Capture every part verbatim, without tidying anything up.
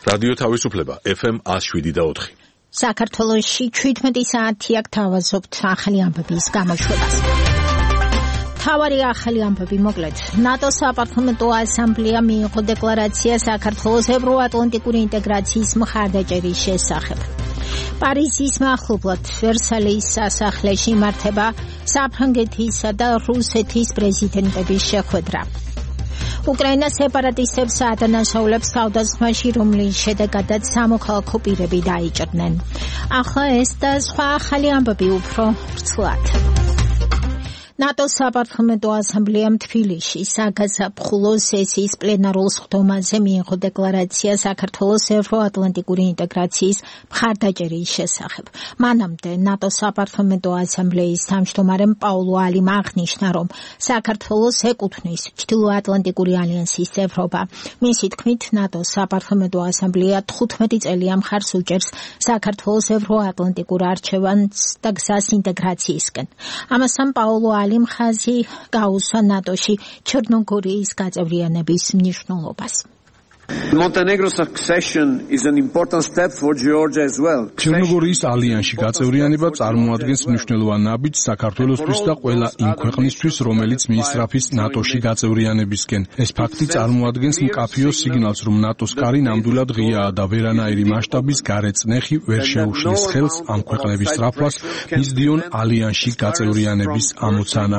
რადიო თავისუფლება ეფ ემ one oh seven და four. საქართველოში seventeen საათი აქ თავაზობთ ახალი ამბების გამოშვებას. თავარი ახალი ამბები მოკლედ. ნატოს საპარლამენტო ასამბლეა მიიღო დეკლარაცია საქართველოს ევროატლანტიკური ინტეგრაციის მხარდაჭერის შესახებ. პარიზის მახლობლად ვერსალის სასახლეში იმართება საფრანგეთისა და რუსეთის პრეზიდენტების შეხვედრა. უკრაინა სეპარატისტებს აადანაშაულებს თავდასხმაში, რომლის შედეგადაც სამოქალაქო პირები დაიჭრნენ. ახლა ეს და სხვა ახალი ამბები უფრო ვრცლად. ნატოს საპარლამენტო ასამბლეამ თბილისში საგაზაფხულო სესიის პლენარულ სხდომაზე მიიღო დეკლარაცია საქართველოს ევროატლანტიკური ინტეგრაციის მხარდაჭერის შესახებ. მანამდე ნატოს საპარლამენტო ასამბლეის თავმჯდომარემ პაულო ალიმ აღნიშნა, რომ საქართველოს ეკუთვნის ჩრდილოატლანტიკური ალიანსის წევრობა. მისი თქმით, ნატოს საპარლამენტო ასამბლეა თხუთმეტი წელია მხარს უჭერს საქართველოს ევროატლანტიკურ არჩევანს და გზას ინტეგრაციისკენ. ამასთან პაულო ალიმ ხაზი გაუსვა ნატოში ჩერნოგორიის გაწევრიანების მნიშვნელობას. Montenegro's accession is an important step for Georgia as well. ჩერნოგორიის ალიანსში გაწევრიანება წარმოადგენს მნიშვნელოვან ნაბიჯს საქართველოსთვის და ყველა იმ ქვეყნისთვის, რომელიც მიისწრაფის ნატოში გაწევრიანებისკენ. ეს ფაქტი წარმოადგენს მკაფიო სიგნალს, რომ ნატოს კარი ნამდვილად ღიაა და ვერანაირი მასშტაბის გარეწნეხი ვერ შეუშლის ხელს ამ ქვეყნების სწრაფვას მისდიონ ალიანსში გაწევრიანების ამოცანა.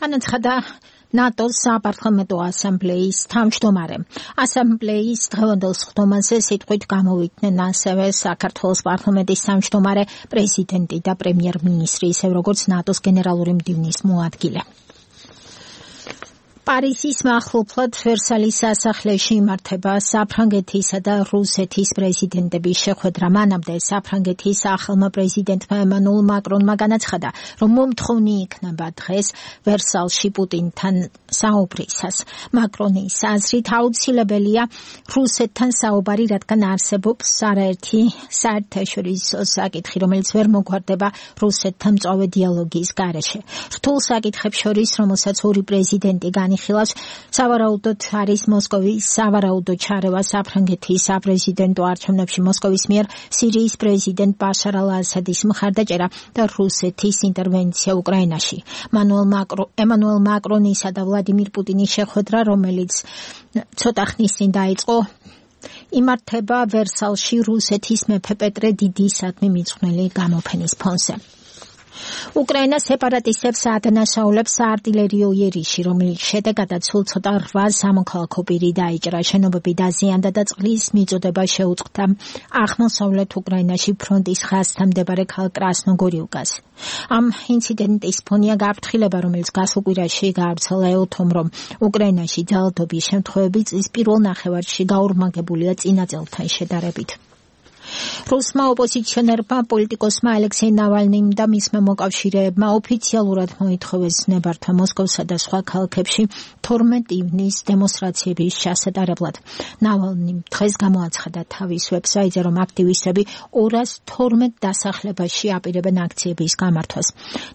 განაცხადა ნატოს საპარლამენტო ასამბლეის თავმჯდომარე. ასამბლეის დღევანდელ სხდომაზე სიტყვით გამოვიდნენ ასევე საქართველოს პარლამენტის თავმჯდომარე, პრეზიდენტი და პრემიერ-მინისტრი, ისევ როგორც ნატოს გენერალური მდივნის მოადგილე. პარიზის მახლობლად ვერსალის სასახლეში იმართება საფრანგეთისა და რუსეთის პრეზიდენტების შეხვედრა. მანამდე საფრანგეთის ახალმა პრეზიდენტმა ემანუელ მაკრონმა განაცხადა, რომ მომთხოვნი იქნება დღეს ვერსალში პუტინთან საუბრისას. მაკრონის აზრით აუცილებელია რუსეთთან საუბარი, რადგან არსებობს არაერთი საერთაშორისო საკითხი, რომელიც ვერ მოგვარდება რუსეთთან მწვავე დიალოგის გარეშე. რთულ საკითხებს შორის, რომელსაც ორი პრეზიდენტი განიხილავს, სავარაუდოდ არის მოსკოვის სავარაუდო ჩარევა საფრანგეთის საპრეზიდენტო არჩევნებში, მოსკოვის მიერ სირიის პრეზიდენტ ბაშარ ალ-ასადის მხარდაჭერა და რუსეთის ინტერვენცია უკრაინაში. ემანუელ მაკრონისა და ვლადიმირ პუტინის შეხვედრა, რომელიც ცოტა ხნის წინ დაიწყო, იმართება ვერსალში რუსეთის მეფე პეტრე დიდისადმი მიძღვნილი გამოფენის ფონზე. უკრაინა სეპარატისტებს აადანაშაულებს საარტილერიო იერიში, რომლის შედეგადაც სულ ცოტა რვა სამოქალაქო პირი დაიჭრა, შენობები დაზიანდა და წყლის მიწოდება შეუწყდა აღმოსავლეთ უკრაინაში ფრონტის ხაზთან მდებარე ქალაქ კრასნოგორიუკას. ამ ინციდენტის ფონია გაფრთხილება, რომელიც გასულ კვირაში გაავრცელა ელთომ, რომ უკრაინაში ძალადობის შემთხვევები წლის პირველ ნახევარში გაურმაგებულია წინა წელთან შედარებით. რუსმა ოპოზიციონერმა პოლიტიკოსმა ალექსეი ნავალნიმ და მისმა მოკავშირეებმა ოფიციალურად მოითხოვეს ნებართვა მოსკოვსა და სხვა ქალაქებში თორმეტი ივნის დემონსტრაციების ჩასატარებლად. ნავალნიმ დღეს გამოაცხადა თავის ვებსაიტზე, რომ აქტივისტები ორას თორმეტ დასახლებაში აპირებენ აქციების გამართვას.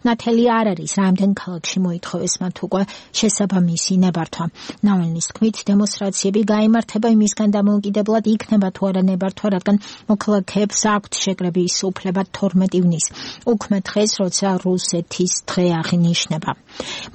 ნათელი არ არის, რამდენ ქალაქში მოითხოვეს მათ უკვე შესაბამისი ნებართვა. ნავალნის თქმით, დემონსტრაციები გაიმართება იმისგან დამოუკიდებლად იქნება თუ არა ნებართვა, რადგან მოქალაქეებს აქვთ შეკრების უფლება თორმეტი ივნის, უქმე დღეს, როცა რუსეთის დღე აღინიშნება.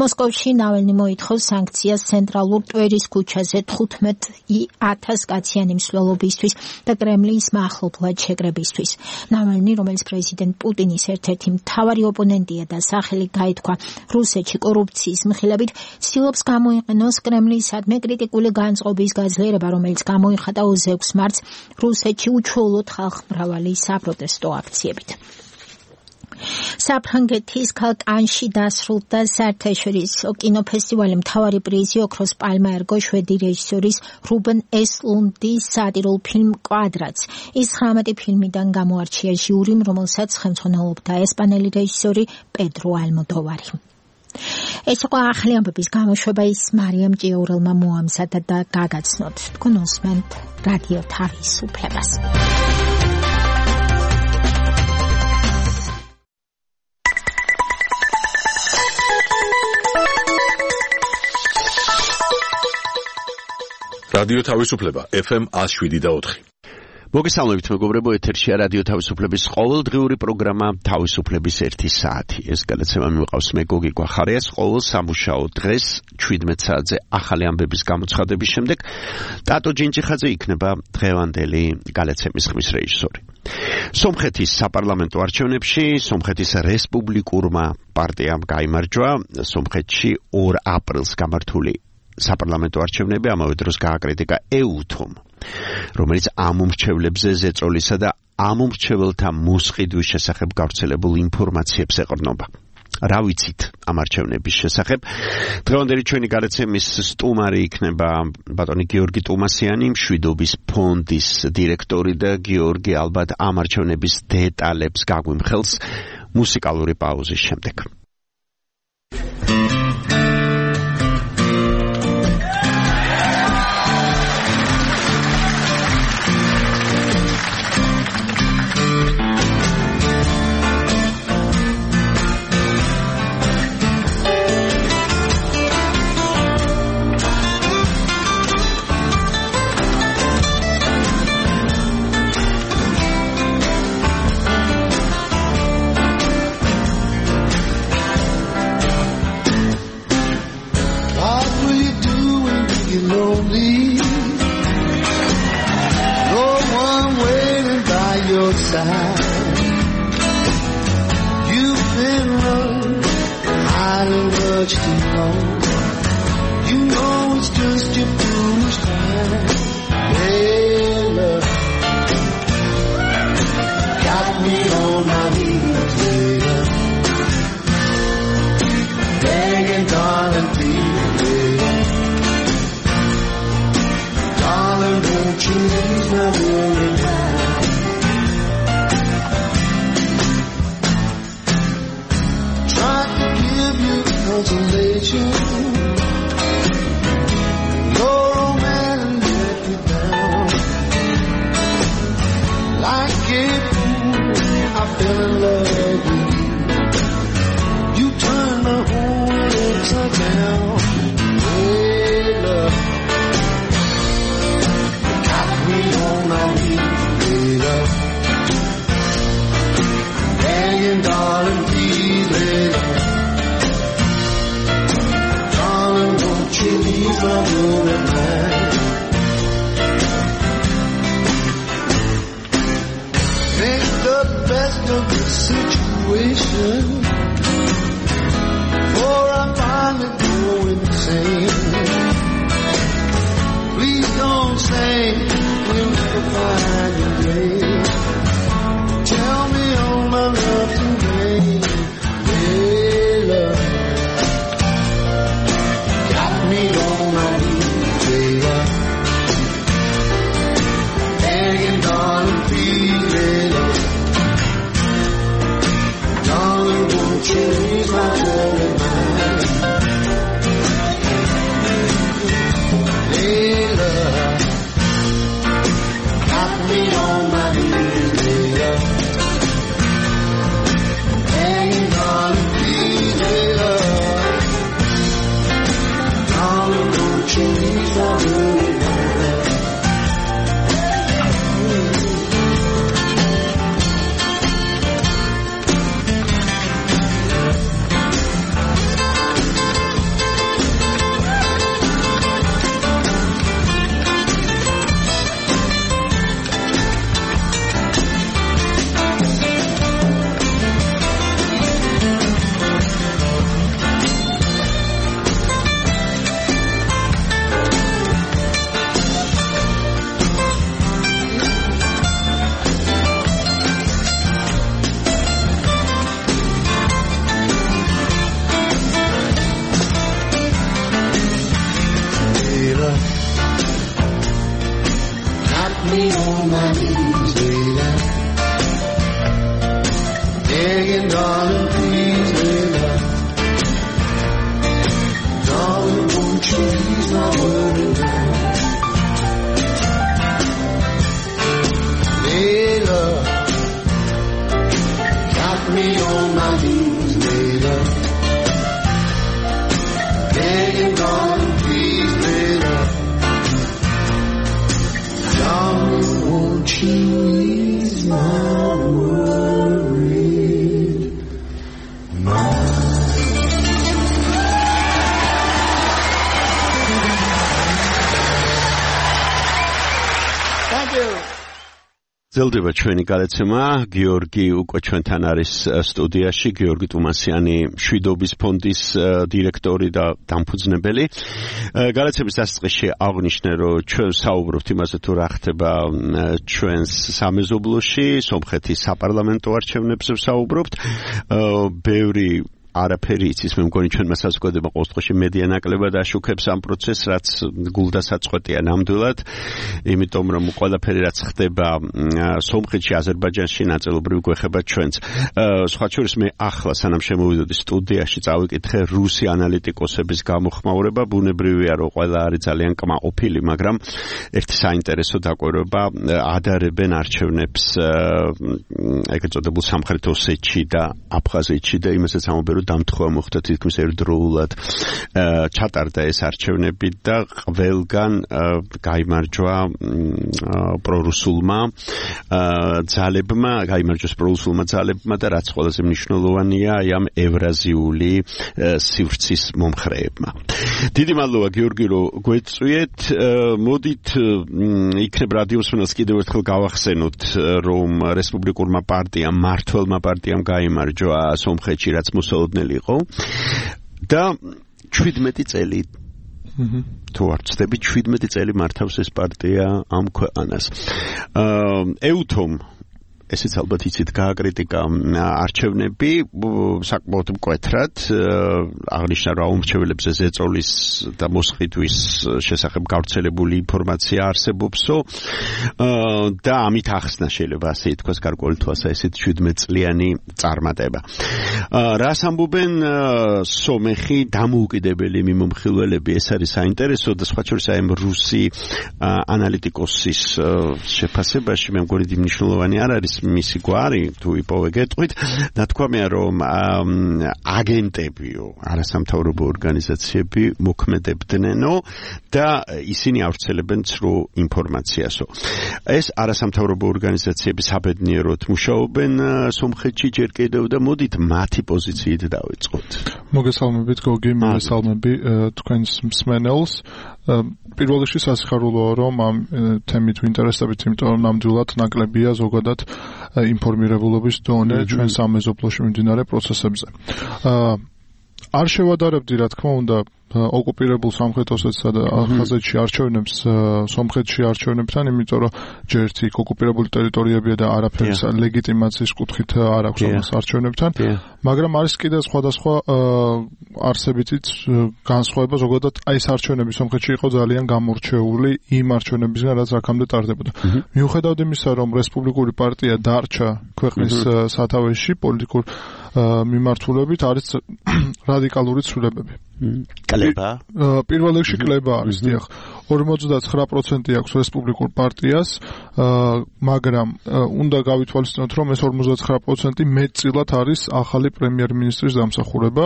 მოსკოვში ნავალნი მოითხოვს სანქციას ცენტრალურ ტვერის ქუჩაზე თხუთმეტი ათას კაციანი მსვლელობისთვის და კრემლის მახლობლად შეკრებისთვის. ნავალნი, რომელიც პრეზიდენტ პუტინის ერთ-ერთი მთავარი ოპონენტია და სახელი გაითქვა რუსეთში კორუფციის მხილებით, ცდილობს გამოიყენოს კრემლისადმი კრიტიკული განწყობის გაძლიერება, რომელიც გამოიხატა ოცდაექვსი მარტს რუსეთში უჩვეულოდ ხალხმრავალი საპროტესტო აქციებით. საფრანგეთის ქალაქ კანში დასრულდა საერთაშორისო კინოფესტივალი. მთავარი პრიზი ოქროს პალმა ერგო შვედი რეჟისორის რუბენ ესლუნდის სატირულ ფილმ კვადრატს. ის ცხრამეტი ფილმიდან გამოარჩია ჟიურიმ, რომელსაც ხელმძღვანელობდა ესპანელი რეჟისორი პედრო ალმოდოვარი. ეს იყო ახალი ამბების გამოშვება, ის მარიამ ჭიაურელმა მოამზადა და გაგაცნოთ. თქვენ უსმენთ რადიო თავისუფლებას. რადიო თავისუფლება ეფ ემ one oh seven და four. მოგესალმებით მეგობრებო, ეთერშია რადიო თავისუფლების ყოველდღიური პროგრამა თავისუფლების ერთი საათი. ეს გადაცემა მივყავს მე გოგი გვახარიას ყოველ სამუშაო დღეს seventeen საათზე ახალი ამბების გამოცხადების შემდეგ ტატო ჯინჯიხაძე იქნება დღევანდელი გადაცემის ხმის რეჟისორი. სომხეთის საპარლამენტო არჩევნებში სომხეთის რესპუბლიკურმა პარტიამ გაიმარჯვა სომხეთში two აპრილს გამართული საპარლამენტო არჩევნები, ამავე დროს გააკრიტიკა ეუთომ, რომელიც ამომრჩევლებზე ზეწოლისა და ამომრჩეველთა მოსყიდვის შესახებ გავრცელებულ ინფორმაციებს ეყრდნობა. რა ვიცით ამ არჩევნების შესახებ? დღევანდელი ჩვენი გადაცემის სტუმარი იქნება ბატონი გიორგი ტუმასიანი, მშვიდობის ფონდის დირექტორი და გიორგი ალბათ ამ არჩევნების დეტალებს გაგვიმხელს მუსიკალური პაუზის შემდეგ. გრძელდება ჩვენი გადაცემა. გიორგი უკვე ჩვენთან არის სტუდიაში. გიორგი ტუმასიანი, მშვიდობის ფონდის დირექტორი და დამფუძნებელი. გადაცემის დასაწყისში აღვნიშნე, რომ ჩვენ საუბრობთ იმაზე, თუ რა ხდება ჩვენს სამეზობლოში, სომხეთის საპარლამენტო არჩევნებზე ვსაუბრობთ. ბევრი არაფერი იცის, მე მგონი ჩვენმა საზოგადოება ყოველ შემთხვევაში მედია ნაკლებად აშუქებს ამ პროცესს, რაც გულდასაწყვეტია ნამდვილად, იმიტომ რომ ყველაფერი რაც ხდება სომხეთში, აზერბაიჯანში ნაწილობრივ გვეხება ჩვენც. სხვა შორის მე ახლა სანამ შემოვიდოდი სტუდიაში წავიკითხე რუსი ანალიტიკოსების გამოხმაურება, ბუნებრივია რომ ყველა არის ძალიან კმაყოფილი, მაგრამ ერთი საინტერესო დაკვირვება ადარებენ არჩევნებს ეგრეთ წოდებულ სამხრეთ ოსეთში და აფხაზეთში და იმასაც ამბობენ დამთხვა მოხდა თითქმის ერთდროულად ჩატარდა ეს არჩევნები და ყველგან გაიმარჯვა პრორუსულმა ძალებმა, გაიმარჯვეს პრორუსულმა ძალებმა და რაც ყველაზე მნიშვნელოვანია, აი ამ ევრაზიული სივრცის მომხრეებმა. დიდი მადლობა გიორგი, რომ გვეწვიეთ. მოდით იქნებ რადიოსმენელს კიდევ ერთხელ გავახსენოთ, რომ რესპუბლიკურმა პარტიამ, მმართველმა პარტიამ გაიმარჯვა სომხეთში, რაც მოსალოდნელი იყო და შვიდმეტი წელი თუ არ ვცდები, შვიდმეტი წელი მართავს ეს პარტია ამ ქვეყანას. ეუთომ ესეც ალბათ იცით გააკრიტიკა არჩევნები საკმაოდ მკვეთრად, აღნიშნა რომ აუმრჩეველებზე ზეწოლის და მოსყიდვის შესახებ გავრცელებული ინფორმაცია არსებობსო და ამით ახსნა შეიძლება ასე ითქვას გარკვეული თვალსაზრისით შვიდმეტი წლიანი წარმატება. რას ამბობენ სომეხი დამოუკიდებელი მიმომხილველები, ეს არის საინტერესო და სხვა შორის აი რუსი ანალიტიკოსის შეფასებაში მე მგონი მნიშვნელოვანი არ არის მისი გვარი, თუ იპოვე გეტყვით, ნათქვამია რომ აგენტებიო, არასამთავრობო ორგანიზაციები მოქმედებდნენო და ისინი ავრცელებენ ცრუ ინფორმაციასო. ეს არასამთავრობო ორგანიზაციები საბედნიეროდ მუშაობენ სომხეთში ჯერ კიდევ და მოდით მათი პოზიციით დავიწყოთ. მოგესალმებით გოგი, მოგესალმები თქვენს მსმენელს. პირველ რიგში სასიხარულოა რომ ამ თემით ვინტერესდებით, იმიტომ რომ ნამდვილად ნაკლებია ზოგადად ინფორმირებულობის დონე ჩვენ სამეზობლოში მიმდინარე პროცესებზე. არ შევადარებდი, რა თქმა უნდა, ოკუპირებულ სამხრეთ ოსეთსა და აფხაზეთში არჩევნებს სომხეთში არჩევნებთან, იმიტომ რომ ჯერ ერთი ოკუპირებული ტერიტორიებია და არაფერი ლეგიტიმაციის კუთხით არ აქვს ამას არჩევნებთან, მაგრამ არის კიდევ სხვადასხვა არსებითი განსხვავება, ზოგადად აი ეს არჩევნები სომხეთში იყო ძალიან გამორჩეული იმ არჩევნებისგან, რაც აქამდე ტარდებოდა. მიუხედავად იმისა, რომ რესპუბლიკური პარტია დარჩა ქვეყნის სათავეში პოლიტიკურ მიმართულებით, არის რადიკალური ცვლილებები. კლება? პირველ რიგში კლება არის, დიახ. ორმოცდაცხრა პროცენტი აქვს რესპუბლიკურ პარტიას, მაგრამ უნდა გავითვალისწინოთ, რომ ეს ორმოცდაცხრა პროცენტი მეტწილად არის ახალი პრემიერ-მინისტრის დამსახურება,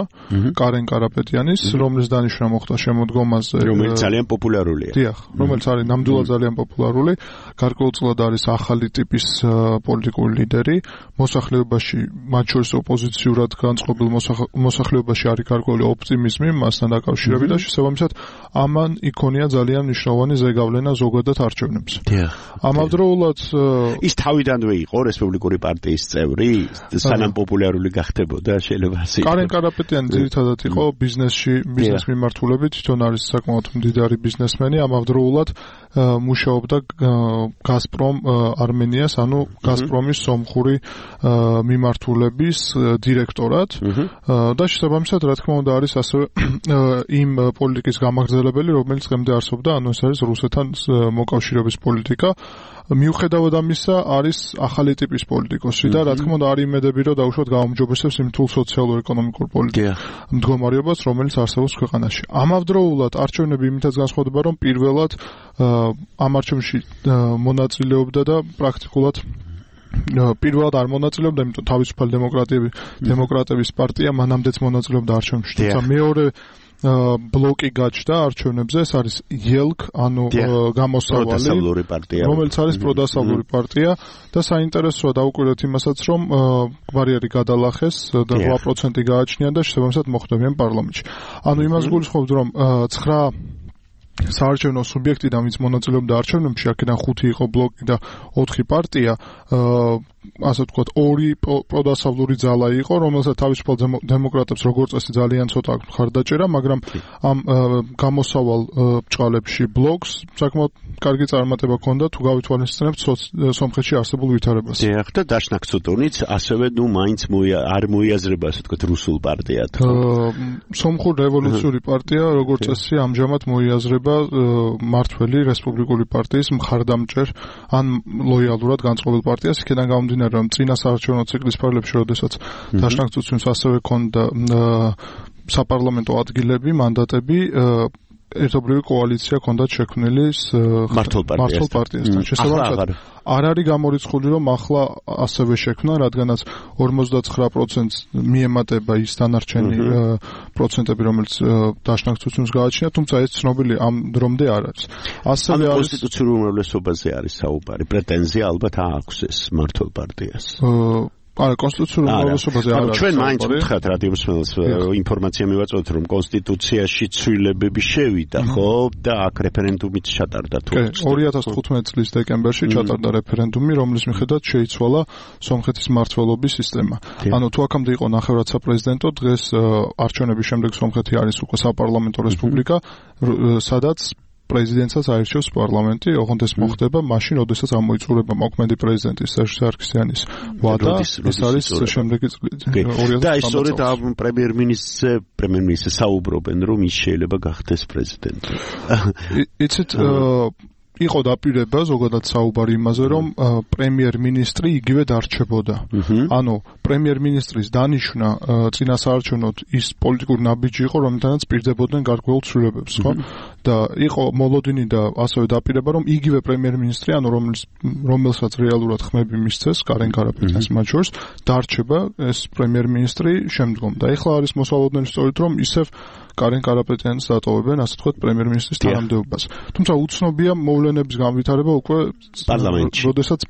კარენ კარაპეტიანის, რომლის დანიშვნა მოხდა შემოდგომაზე, რომელიც ძალიან პოპულარულია. დიახ, რომელიც არის ნამდვილად ძალიან პოპულარული, გარკვეულწილად არის ახალი ტიპის პოლიტიკური ლიდერი, მოსახლეობაში, მათ შორის ოპოზიციურად განწყობილ მოსახლეობაში არის გარკვეული ოპტიმიზმი მასთან დაკავშირებით და შესაბამისად ამან იქონია ძალიან მნიშვნელოვანი ზეგავლენა ზოგადად არჩევნებს. ამავდროულად ის თავიდანვე იყო რესპუბლიკური პარტიის წევრი, სანამ პოპულარული გახდებოდა, შეიძლება ასე. კარენ კარაპეტიანი ძირითადად იყო ბიზნესში, ბიზნეს მიმართულებით, თვითონ არის საკმაოდ მდიდარი ბიზნესმენი, ამავდროულად მუშაობდა გაზპრომ არმენიას, ანუ გაზპრომის სომხური მიმართულების დირექტორად და შესაბამისად, რა თქმა უნდა, არის ასევე იმ პოლიტიკის გამაგრძელებელი, რომელიც დღემდე არსებობდა, ანუ ეს არის რუსეთთან მოკავშირეობის პოლიტიკა. მიუხედავად ამისა, არის ახალი ტიპის პოლიტიკოსი და რა თქმა უნდა, არის იმედები, რომ დაუშვათ გაუმჯობესებს იმ თულ სოციალურ-ეკონომიკურ პოლიტიკურ მდგომარეობას, რომელიც არსებობს ქვეყანაში. ამავდროულად, არჩევნები იმითაც განსხვავდება, რომ პირველად ამ არჩევნში მონაწილეობდა და პრაქტიკულად პირველად არ მონაწილეობდა, იმიტომ თავისუფალი დემოკრატები, დემოკრატების პარტია მანამდეც მონაწილეობდა არჩევნებში. თუმცა მეორე ბლოკი გაჩნდა არჩევნებზე, ეს არის იელკ, ანუ გამოსავალი, რომელიც არის პროდასავლური პარტია და საინტერესოა დაუკვირდეთ იმასაც, რომ ბარიერი გადალახეს და რვა პროცენტი გააჩნია და შესაბამისად მოხვდებიან პარლამენტში. ანუ იმას გულისხმობთ, რომ ცხრა საარჩევნო სუბიექტიდან ვინც მონაწილეობდა არჩევნებში, აქედან ხუთი იყო ბლოკი და ოთხი პარტია, ასე ვთქვათ, ორი პროდასავლური ძალა იყო, რომელსაც თავისუფალ დემოკრატებს როგორც წესი ძალიან ცოტა აქვს მხარდაჭერა, მაგრამ ამ გამოსავალ ბჭყალებში ბლოკს საკმაოდ კარგი წარმატება ჰქონდა თუ გავითვალისწინებთ სომხეთში არსებულ ვითარებას. დიახ, და დაშნაკ ცუტუნიც ასევე ნუ მაინც არ მოიაზრება, ასე ვთქვათ, რუსულ პარტიად. სომხურ რევოლუციური პარტია როგორც წესი ამჟამად მოიაზრება მართველი რესპუბლიკური პარტიის მხარდამჭერ ან ლოიალურად განწყობილ პარტიას, იქიდან გამომდინარე, რომ წინა საარჩევნო ციკლის ფარგლებში, როდესაც დაშნაკ ცუცუნს ასევე ჰქონდა საპარლამენტო ადგილები, მანდატები, ერთობლივი კოალიცია ჰქონდათ შექმნილი მართლ პარტიასთან. შესაბამისად, არ არის გამორიცხული, რომ ახლა ასევე შექმნა, რადგანაც ორმოცდაცხრა პროცენტს მიემატება ის დანარჩენი პროცენტები, რომელიც დაშნაკ ცუცუნს გააჩნია, თუმცა ეს ცნობილი ამ დრომდე არ არის. ასევე არის კონსტიტუციურ უმრავლესობაზე არის საუბარი, პრეტენზია ალბათ აქვს ეს მართლ პარტიას. არა, კონსტიტუციურ უმრავლესობაზე არ არის. ჩვენ მაინც ვთქვათ რადიომსმენელს ინფორმაცია მივაწვევთ, რომ კონსტიტუციაში ცვლილებები შევიდა, ხო, და აქ რეფერენდუმით ჩატარდა თუ ორი ათას თხუთმეტი წლის დეკემბერში ჩატარდა რეფერენდუმი, რომლის მიხედვით შეიცვალა სომხეთის მმართველობის სისტემა. ანუ თუ აქამდე იყო ნახევრად საპრეზიდენტო, დღეს არჩევნების შემდეგ სომხეთი არის უკვე საპარლამენტო რესპუბლიკა, სადაც პრეზიდენტსაც აირჩევს პარლამენტი, ოღონდ ეს მოხდება მაშინ, როდესაც ამოიწურება მოქმედი პრეზიდენტის სერჟ სარქისიანის ვადა, ეს არის შემდეგი წელი. და ისწორედ ამ პრემიერ-მინისტრზე, პრემიერ-მინისტრზე საუბრობენ, რომ ის შეიძლება გახდეს პრეზიდენტი. იცით, იყო დაპირება ზოგადად საუბარი იმაზე, რომ პრემიერ-მინისტრი იგივე დარჩებოდა. ანუ პრემიერ-მინისტრის დანიშვნა წინა საარჩევნოდ ის პოლიტიკური ნაბიჯი იყო, რომელთანაც პირდებოდნენ გარკვეულ ცვლილებებს, ხო? და იყო მოლოდინი და ასევე დაპირება, რომ იგივე პრემიერ-მინისტრი, ანუ რომელიც რომელსაც რეალურად ხმები მისცეს, კარენ კარაპეტიანს მათ შორის, დარჩება ეს პრემიერ-მინისტრი შემდგომ. და ეხლა არის მოსალოდნელი სწორედ, რომ ისევ კარენ კარაპეტიანს დატოვებენ, ასე ვთქვათ, პრემიერ-მინისტრის თანამდებობას. თუმცა უცნობია მოვლენების განვითარება უკვე პარლამენტში, როდესაც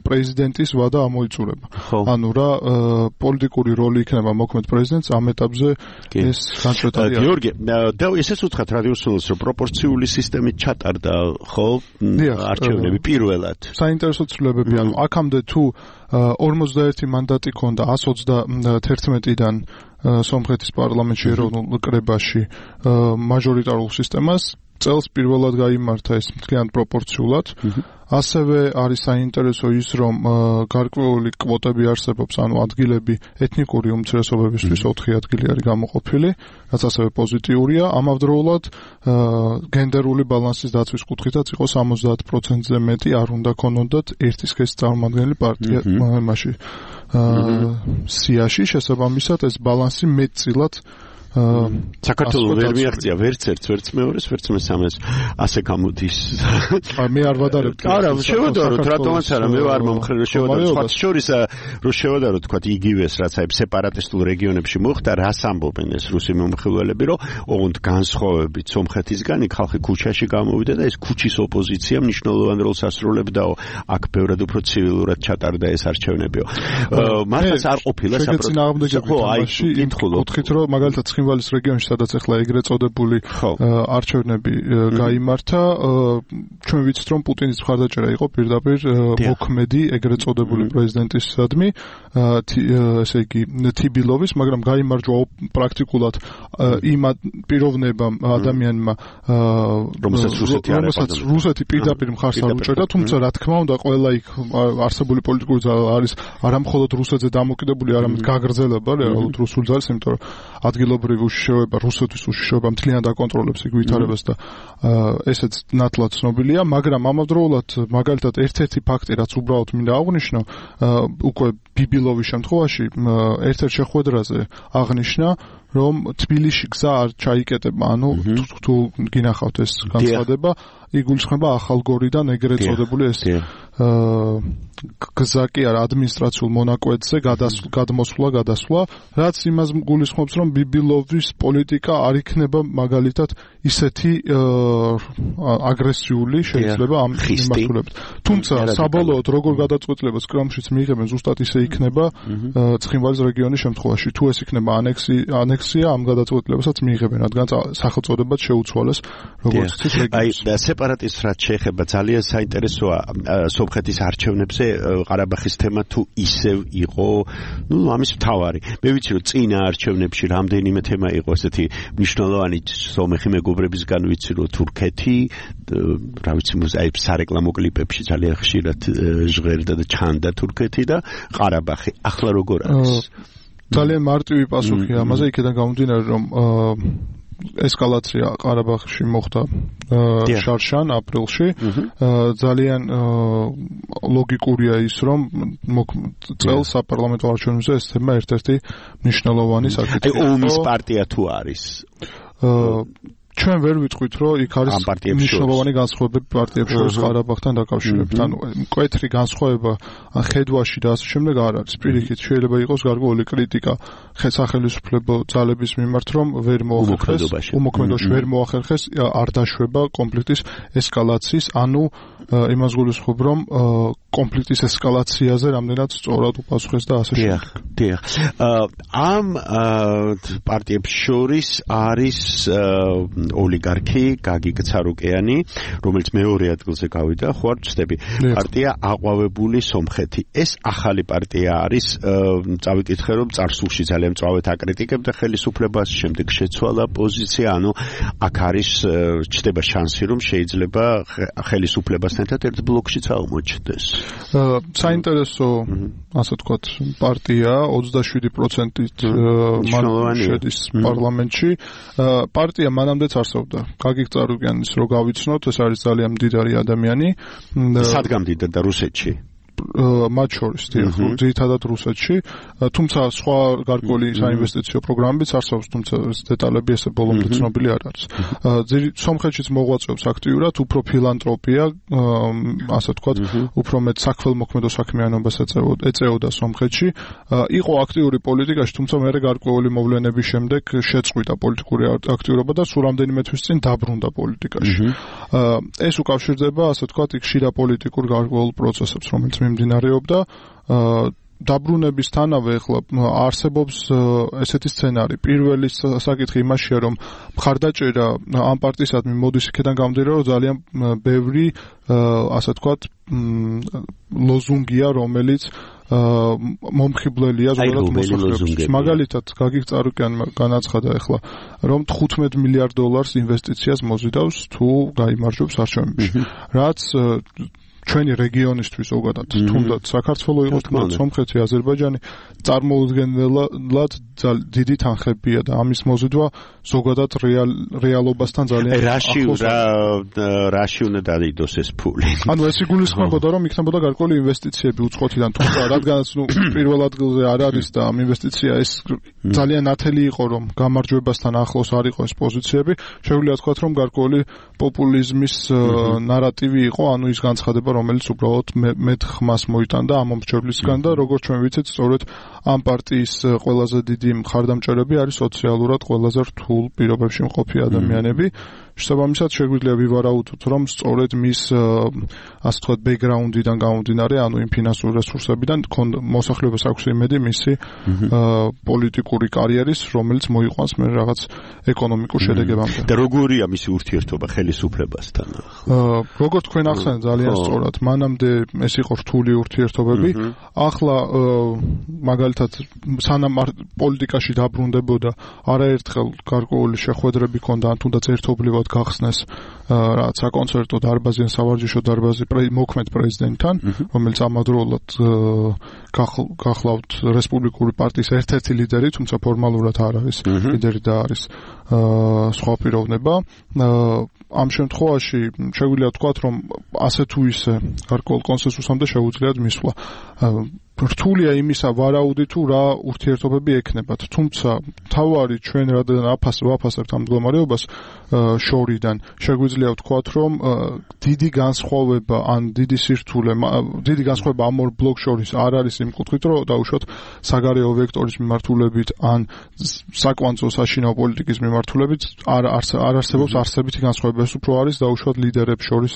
პრეზიდენტის ვადა ამოიწურება. ანუ რა პოლიტიკური როლი იქნება მოქმედ პრეზიდენტს ამ ეტაპზე ეს განსხვავებულია. გიორგი, და ესეც უთხრათ რადიოსმენელს, რომ პროპორციული სისტემით ჩატარდა, ხო, არჩევნები პირველად. საინტერესო ცვლილებები, ანუ აქამდე თუ ორმოცდაერთი მანდატი ჰქონდა ას ოცდათერთმეტიდან სომხეთის პარლამენტში ეროვნულ კრებაში მაჟორიტარულ სისტემას, წელს პირველად გაიმართა ეს მთლიანად პროპორციულად. ასევე არის საინტერესო ის, რომ გარკვეული კვოტები არსებობს, ანუ ადგილები ეთნიკური უმცირესობებისთვის ოთხი ადგილი არის გამოყოფილი, რაც ასევე პოზიტიურია. ამავდროულად გენდერული ბალანსის დაცვის კუთხითაც იყო სამოცდაათ პროცენტზე მეტი არ უნდა ქონოდათ ერთი სქესის წარმომადგენელი პარტია მასში. სიაში შესაბამისად ეს ბალანსი მეტწილად საქართველოს ვერ მიაღწია ვერც ერთს, ვერც მეორეს, ვერც მესამეს, ასე გამოდის. მე არ ვადარებ. არა, შევადაროთ, რატომაც არა, მე ვარ მომხრე, შევადაროთ. სხვა შორის რო შევადაროთ, თქვა იგივეს, რაც აი სეპარატისტულ რეგიონებში მოხდა, რას ამბობენ ეს რუსი მომხილველები, რომ ოღონდ განსხვავებით სომხეთისგან იქ ხალხი ქუჩაში გამოვიდა და ეს ქუჩის ოპოზიცია მნიშვნელოვან როლს ასრულებდაო. აქ ბევრად უფრო ცივილურად ჩატარდა ეს არჩევნებიო. მართლაც არ ყოფილა საპროტესტო. ხო, აი, კითხულობთ, რომ მაგალითად ცხინვალის რეგიონში, სადაც ახლა ეგრეთ წოდებული არჩევნები გაიმართა, ჩვენ ვიცით, რომ პუტინის მხარდაჭერა იყო პირდაპირ მოქმედი ეგრეთ წოდებული პრეზიდენტისადმი, ესე იგი თიბილოვის, მაგრამ გაიმარჯვა პრაქტიკულად იმ პიროვნებამ, ადამიანმა, რომელსაც რუსეთი პირდაპირ მხარს არ უჭერდა, თუმცა რა თქმა უნდა, ყველა იქ არსებული პოლიტიკური ძალა არის არამხოლოდ რუსეთზე დამოკიდებული, არამედ გაგრძელება რეალურად რუსულ ძალას, იმიტომ რომ ადგილობრივი უშიშროება, რუსეთის უშიშროება მთლიანად აკონტროლებს იქ ვითარებას და ესეც ნათლად ცნობილია, მაგრამ ამავდროულად მაგალითად ერთ-ერთი ფაქტი, რაც უბრალოდ მინდა აღვნიშნო, უკვე ბიბილოვის შემთხვევაში ერთ-ერთ შეხვედრაზე აღნიშნა, რომ თბილისში გზა არ ჩაიკეტება, ანუ თუ გინახავთ ეს განცხადება, იგულისხმება ახალგორიდან ეგრეთ წოდებული ეს გზა კი არა ადმინისტრაციულ მონაკვეთზე გადმოსვლა, გადასვლა, რაც იმას გულისხმობს, რომ ბიბილოვის პოლიტიკა არ იქნება მაგალითად ისეთი აგრესიული შეიძლება ამ მიმართულებით. თუმცა საბოლოოდ როგორ გადაწყვეტილებას კრემლშიც მიიღებენ, ზუსტად ისე იქნება ცხინვალის რეგიონის შემთხვევაში. თუ ეს იქნება ანექსი, ანექსი პროტექცია ამ გადაწყვეტილებასაც მიიღებენ, რადგან სახელწოდებაც შეუცვალეს, როგორც იცით რეგიონს. აი, სეპარატისტს რაც შეეხება, ძალიან საინტერესოა სომხეთის არჩევნებზე ყარაბაღის თემა თუ ისევ იყო, ну, ამის მთავარი. მე ვიცი, რომ წინა არჩევნებში რამდენიმე თემა იყო ესეთი მნიშვნელოვანი სომეხი მეგობრებისგან ვიცი, რომ თურქეთი, რა ვიცი, აი სარეკლამო კლიპებში ძალიან ხშირად ჟღერდა და ჩანდა თურქეთი და ყარაბაღი. ახლა როგორ არის? ძალიან მარტივი პასუხია ამაზე, იქიდან გამომდინარე, რომ ესკალაცია ყარაბაღში მოხდა შარშან აპრილში. ძალიან ლოგიკურია ის, რომ წელს საპარლამენტო არჩევნებზე ეს თემა ერთ-ერთი მნიშვნელოვანი საკითხია. აი ომის პარტია თუ არის? ჩვენ ვერ ვიტყვით, რომ იქ არის მნიშვნელოვანი განსხვავებები პარტიებს შორის ყარაბაღთან დაკავშირებით. ანუ მკვეთრი განსხვავება ხედვაში და ასე შემდეგ არ არის. პირიქით შეიძლება იყოს გარკვეული კრიტიკა სახელმწიფო ძალების მიმართ, რომ ვერ მოახერხეს, უმოქმედოში ვერ მოახერხეს, არ დაშვება კონფლიქტის ესკალაციის, ანუ იმას გულისხმობ, რომ კონფლიქტის ესკალაციაზე რამდენად სწორად უპასუხეს და ასე შემდეგ. დიახ. ამ პარტიებს შორის არის ოლიგარქი გაგი გცარუკიანი, რომელიც მეორე ადგილზე გავიდა, ხო არ ვწდები. პარტია აყვავებული სომხეთი. ეს ახალი პარტია არის, წავიკითხე რომ წარსულში ძალიან მწვავედ აკრიტიკებდა ხელისუფლებას, შემდეგ შეცვალა პოზიცია, ანუ აქ არის ჩდება შანსი, რომ შეიძლება ხელისუფლებასთან ერთად ერთ ბლოკშიც აღმოჩნდეს. საინტერესო, ასე ვთქვათ, პარტია ოცდაშვიდი პროცენტით შედის პარლამენტში. პარტია მანამდეც არსებობდა. გაგი გწარუკიანის რო გავიცნოთ, ეს არის ძალიან მდიდარი ადამიანი. სად გამდიდა და რუსეთში? მათ შორის, ძირითადად რუსეთში, თუმცა სხვა გარკვეული საინვესტიციო პროგრამებიც არსებობს, თუმცა დეტალები ესე ბოლომდე ცნობილი არ არის. სომხეთშიც მოღვაწეობს აქტიურად, უფრო ფილანტროპია, ასე ვთქვათ, უფრო მეტ საქველმოქმედო საქმიანობას ეწეოდა სომხეთში. იყო აქტიური პოლიტიკაში, თუმცა მე გარკვეული მოვლენების შემდეგ შეწყვიტა პოლიტიკური აქტიურობა და სულ რამდენიმე თვის წინ დაბრუნდა პოლიტიკაში. ეს უკავშირდება, ასე ვთქვათ, ხშირა პოლიტიკურ გარკვეულ პროცესებს, რომელიც მიმდინარეობდა. დაბრუნებისთანავე ახლა არსებობს ესეთი სცენარი. პირველი საკითხი იმაშია, რომ მხარდაჭერა ამ პარტიისადმი მოდის იქიდან გამომდინარე, რომ ძალიან ბევრი, ასე ვთქვათ, ლოზუნგია, რომელიც მომხიბვლელია ზოგადად მოსახლეობის. მაგალითად, გაგი გწარუკიანმა განაცხადა ახლა, რომ თხუთმეტ მილიარდ დოლარს ინვესტიციას მოზიდავს თუ გაიმარჯვებს არჩევნებში. რაც ჩვენი რეგიონისთვის ზოგადად, თუნდაც საქართველოს იყოს, თუნდაც სომხეთი, აზერბაიჯანი, წარმოუდგენლად დიდი თანხებია და ამის მოზიდვა ზოგადად რეალობასთან ძალიან ახლოს. რაში უნდა დაიდოს ეს ფული? ანუ ეს იგულისხმებოდა, რომ იქნებოდა გარკვეული ინვესტიციები უცხოეთიდან, თუმცა რადგანაც ნუ პირველ ადგილზე არ არის და ამ ინვესტიცია ეს ძალიან ნათელი იყო, რომ გამარჯვებასთან ახლოს არ იყო ეს პოზიციები, შეგვიძლია თქვათ, რომ გარკვეული პოპულიზმის ნარატივი იყო, ანუ ის განცხადება, რომელიც უბრალოდ მეტ ხმას მოიტანდა ამ მომრჩევლისგან და როგორც ჩვენ ვიცით, სწორედ ამ პარტიის ყველაზე დიდი მხარდამჭერები არის სოციალურად ყველაზე რთულ პირობებში მყოფი ადამიანები. შესაბამისად შეგვიძლია ვივარაუდოთ, რომ სწორედ მის ასე ვთქვათ ბექგრაუნდიდან გამომდინარე, ანუ იმ ფინანსურ რესურსებიდან მოსახლეობას აქვს იმედი მისი პოლიტიკური კარიერის, რომელიც მოიყვანს მე რაღაც ეკონომიკურ შედეგებამდე. და როგორია მისი ურთიერთობა ხელისუფლებასთან? როგორც თქვენ ახსენეთ ძალიან სწორად, მანამდე ეს იყო რთული ურთიერთობები. ახლა მაგალითად სანამ პოლიტიკაში დაბრუნდებოდა, არაერთხელ გარკვეული შეხვედრები ჰქონდა, ან თუნდაც ერთობლივად გახსნეს რაც საკონცერტო დარბაზი ან სავარჯიშო დარბაზი მოქმედ პრეზიდენტთან, რომელიც ამავდროულად გახლავთ რესპუბლიკური პარტიის ერთ-ერთი ლიდერი, თუმცა ფორმალურად არ არის ლიდერი და არის სხვა პიროვნება. ამ შემთხვევაში შეგვიძლია ვთქვათ, რომ ასე თუ ისე გარკვეულ კონსენსუსამდე შეუძლიათ მისვლა. რთულია იმისა ვარაუდი თუ რა ურთიერთობები ექნებათ, თუმცა თავარი ჩვენ რადგან ვაფასებთ ამ მდგომარეობას შორიდან, შეგვიძლია ვთქვათ, რომ დიდი განსხვავება ან დიდი სირთულე, დიდი განსხვავება ამ ორ ბლოკ შორის არ არის იმ კუთხით, რომ დაუშვათ საგარეო ვექტორის მიმართულებით ან საკვანძო საშინაო პოლიტიკის მიმართულებით არ არსებობს არსებითი განსხვავება, ეს უფრო არის დაუშვათ ლიდერებს შორის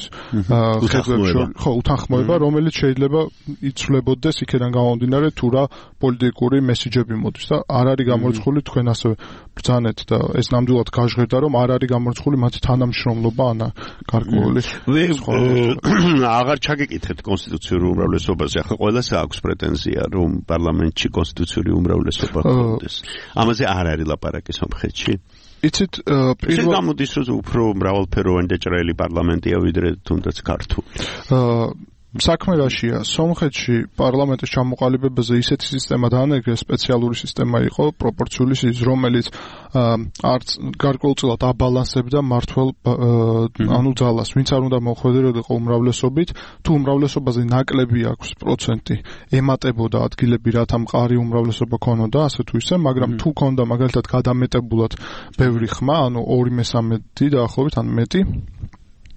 ხედვებს შორის, ხო, უთანხმოება, რომელიც შეიძლება იცვლებოდეს იქიდან გამომდინარე თუ რა პოლიტიკური მესიჯები მოდის და არ არის გამორიცხული თქვენ ასევე ბრძანეთ და ეს ნამდვილად გაჟღერდა რომ არ არის გამორიცხული მათი თანამშრომლობა ანა გარკვეული აღარ ჩაგეკითხეთ კონსტიტუციურ უმრავლესობაზე ახლა ყველას აქვს პრეტენზია რომ პარლამენტში კონსტიტუციური უმრავლესობა ჰქონდეს ამაზე არ არის ლაპარაკი სომხეთში იცით პირველ გამოდის რომ უფრო მრავალფეროვანი და ჭრელი პარლამენტია ვიდრე თუნდაც ქართული საქმე რაშია სომხეთში პარლამენტის ჩამოყალიბებაზე ისეთი სისტემა დაანერგეს სპეციალური სისტემა იყო პროპორციული რომელიც არც გარკვეულწილად აბალანსებდა მართველ ანუ ძალას ვინც არ უნდა მოხვედრილიყო უმრავლესობით თუ უმრავლესობაზე ნაკლები აქვს პროცენტი ემატებოდა ადგილები რათა მყარი უმრავლესობა ქონოდა ასე თუ ისე მაგრამ თუ ქონდა მაგალითად გადამეტებულად ბევრი ხმა ანუ ორი მესამედი დაახლოებით ან მეტი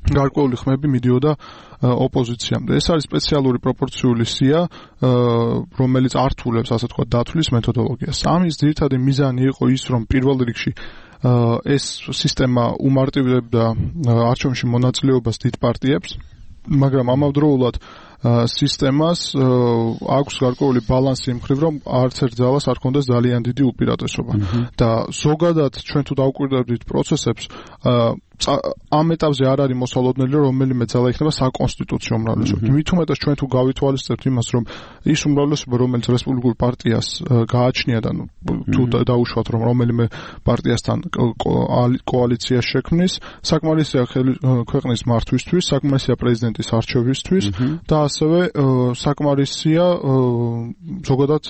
გარკვეული ხმები მიდიოდა ოპოზიციამდე. ეს არის სპეციალური პროპორციული სია, რომელიც ართულებს, ასე თქვა, დათვლის მეთოდოლოგიას. ამის ძირითადი მიზანი იყო ის, რომ პირველ რიგში ეს სისტემა უმარტივებდა არჩევნებში მონაწილეობას დიდ პარტიებს, მაგრამ ამავდროულად სისტემას აქვს გარკვეული ბალანსი იმ მხრივ, რომ არც ერთ ძალას არ ქონდეს ძალიან დიდი უპირატესობა. და ზოგადად ჩვენ თუ დავკვირდებით პროცესებს, ამ ეტაპზე არ არის მოსალოდნელი რომელიმე ძალა იქნება საკონსტიტუციო უმრავლესობა. მით უმეტეს ჩვენ თუ გავითვალისწინებთ იმას, რომ ის უმრავლესობა, რომელიც რესპუბლიკურ პარტიას გააჩნია და თუ დაუშვათ, რომ რომელიმე პარტიასთან კოალიცია შექმნის, საკმარისია ქვეყნის მართვისთვის, საკმარისია პრეზიდენტის არჩევისთვის და ასევე საკმარისია ზოგადად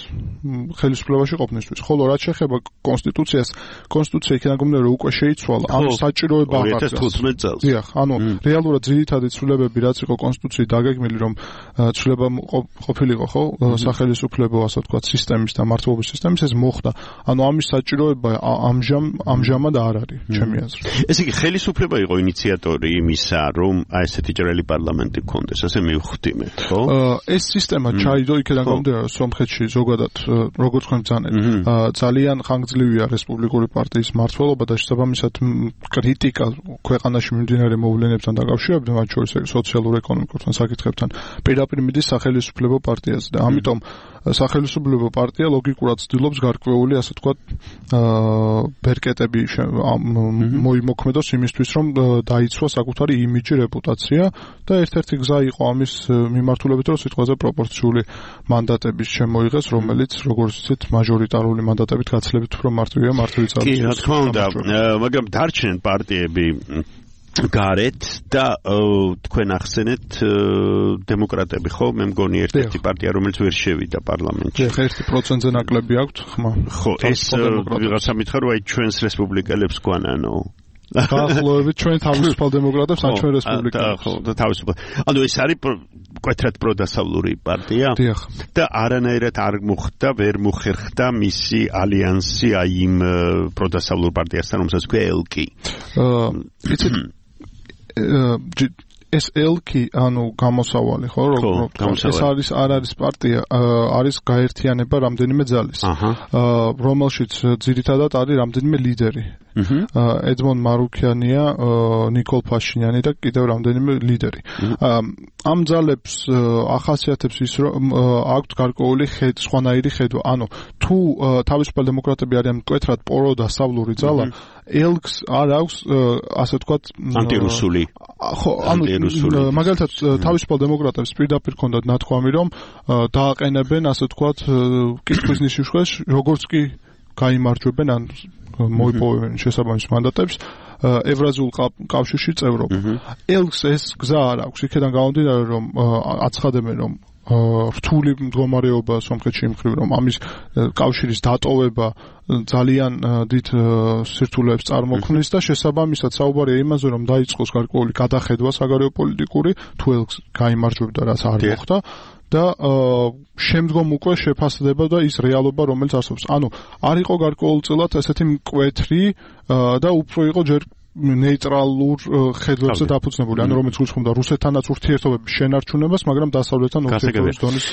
ხელისუფლებაში ყოფნისთვის. ხოლო რაც შეეხება კონსტიტუციას, კონსტიტუცია იქიდან გამომდინარე უკვე შეიცვალა, ამ საჭიროება ათერთმეტ წელს. დიახ, ანუ რეალურად ძირითადი ცვლილებები რაც იყო კონსტიტუციით დაგეგმილი, რომ ცვლილება ყოფილიყო, ხო, სახელისუფლებო, ასე ვთქვათ, სისტემის და მართლობის სისტემის, ეს მოხდა. ანუ ამის საჭიროება ამჟამ ამჟამად არ არის, ჩემი აზრით. ესე იგი, ხელისუფლება იყო ინიციატორი იმისა, რომ აი ესეთი ჭრელი პარლამენტი გქონდეს, ასე მივხვდი მე, ხო? ეს სისტემა ჩაიდო იქიდან გამომდინარე, სომხეთში ზოგადად, როგორც თქვენ ბრძანეთ, ძალიან ხანგრძლივია რესპუბლიკური პარტიის მმართველობა და შესაბამისად კრიტიკა ქვეყანაში მიმდინარე მოვლენებთან დაკავშირებით, მათ შორის სოციალურ-ეკონომიკურ საკითხებთან, პირდაპირ მიდის სახელისუფლებო პარტიაზე და ამიტომ სახელისუფლებო პარტია ლოგიკურად ცდილობს გარკვეული, ასე ვთქვათ, ბერკეტები მოიმოქმედოს იმისთვის, რომ დაიცვას საკუთარი იმიჯი, რეპუტაცია და ერთ-ერთი გზა იყო ამის მიმართულებით, რომ სიტყვაზე პროპორციული მანდატების შემოიღეს, რომელიც, როგორც ვთქვით, მაჟორიტარული მანდატებით გაცილებით უფრო მარტივია მართვი ძალის. კი, რა თქმა უნდა, მაგრამ დარჩნენ პარტიები გარეთ და თქვენ ახსენეთ დემოკრატები ხო მე მგონი ერთ-ერთი პარტია რომელიც ვერ შევიდა პარლამენტში. ეხლა ერთი პროცენტზე ნაკლები აქვთ ხმა. ხო ეს ვიღაცა მითხრა რომ აი ჩვენს რესპუბლიკელებს გვანანო დაახლოებით ჩვენ თავისუფალ დემოკრატებს ან ჩვენ რესპუბლიკელებს. ხო და თავისუფალ. ანუ ეს არის კვეთრად პროდასავლური პარტია და არანაირად არ მოხდა ვერ მოხერხდა მისი ალიანსი აი იმ პროდასავლურ პარტიასთან რომელსაც ქვია ელკი. იცით ეს ელკი ანუ გამოსავალი ხო როგორც ეს არის არ არის პარტია არის გაერთიანება რამდენიმე ძალის რომელშიც ძირითადად არის რამდენიმე ლიდერი ეძმონ მარუქიანია ნიკოლ ფაშინიანი და კიდევ რამდენიმე ლიდერი ამ ძალებს ახასიათებს ის რომ აქვთ გარკვეული სხვანაირი ხედვა ანუ თუ თავისუფალ დემოკრატები არიან მკვეთრად პროდასავლური ძალა ელკს არ აქვს ასე ვთქვათ ანტირუსული ხო ანუ მაგალითად თავისუფალ დემოკრატებს პირდაპირ ქონდათ ნათქვამი რომ დააყენებენ ასე ვთქვათ კითხვის ნიშნებს როგორც კი გაიმარჯვებენ ან მოიპოვებენ შესაბამის მანდატებს ევრაზიულ კავშირში წევრობა ელკს ეს გზა არ აქვს იქიდან გამომდინარე რომ აცხადებენ რომ რთული მდგომარეობა სომხეთში იმხრივ რომ ამის კავშირის დატოვება ძალიან დიდ სირთულეებს წარმოქმნის და შესაბამისად საუბარია იმაზე რომ დაიწყოს გარკვეული გადახედვა საგარეო პოლიტიკური თუ ელკს გაიმარჯვებდა რაც არ მოხდა და შემდგომ უკვე შეფასდება და ის რეალობა რომელიც არსებობს. ანუ არ იყო გარკვეულწილად ესეთი მკვეთრი და უფრო იყო ჯერ ნეიტრალურ ხედვებზე დაფუძნებული, ანუ რომელიც გულისხმობდა რუსეთთანაც ურთიერთობების შენარჩუნებას, მაგრამ დასავლეთთან ურთიერთობის დონის.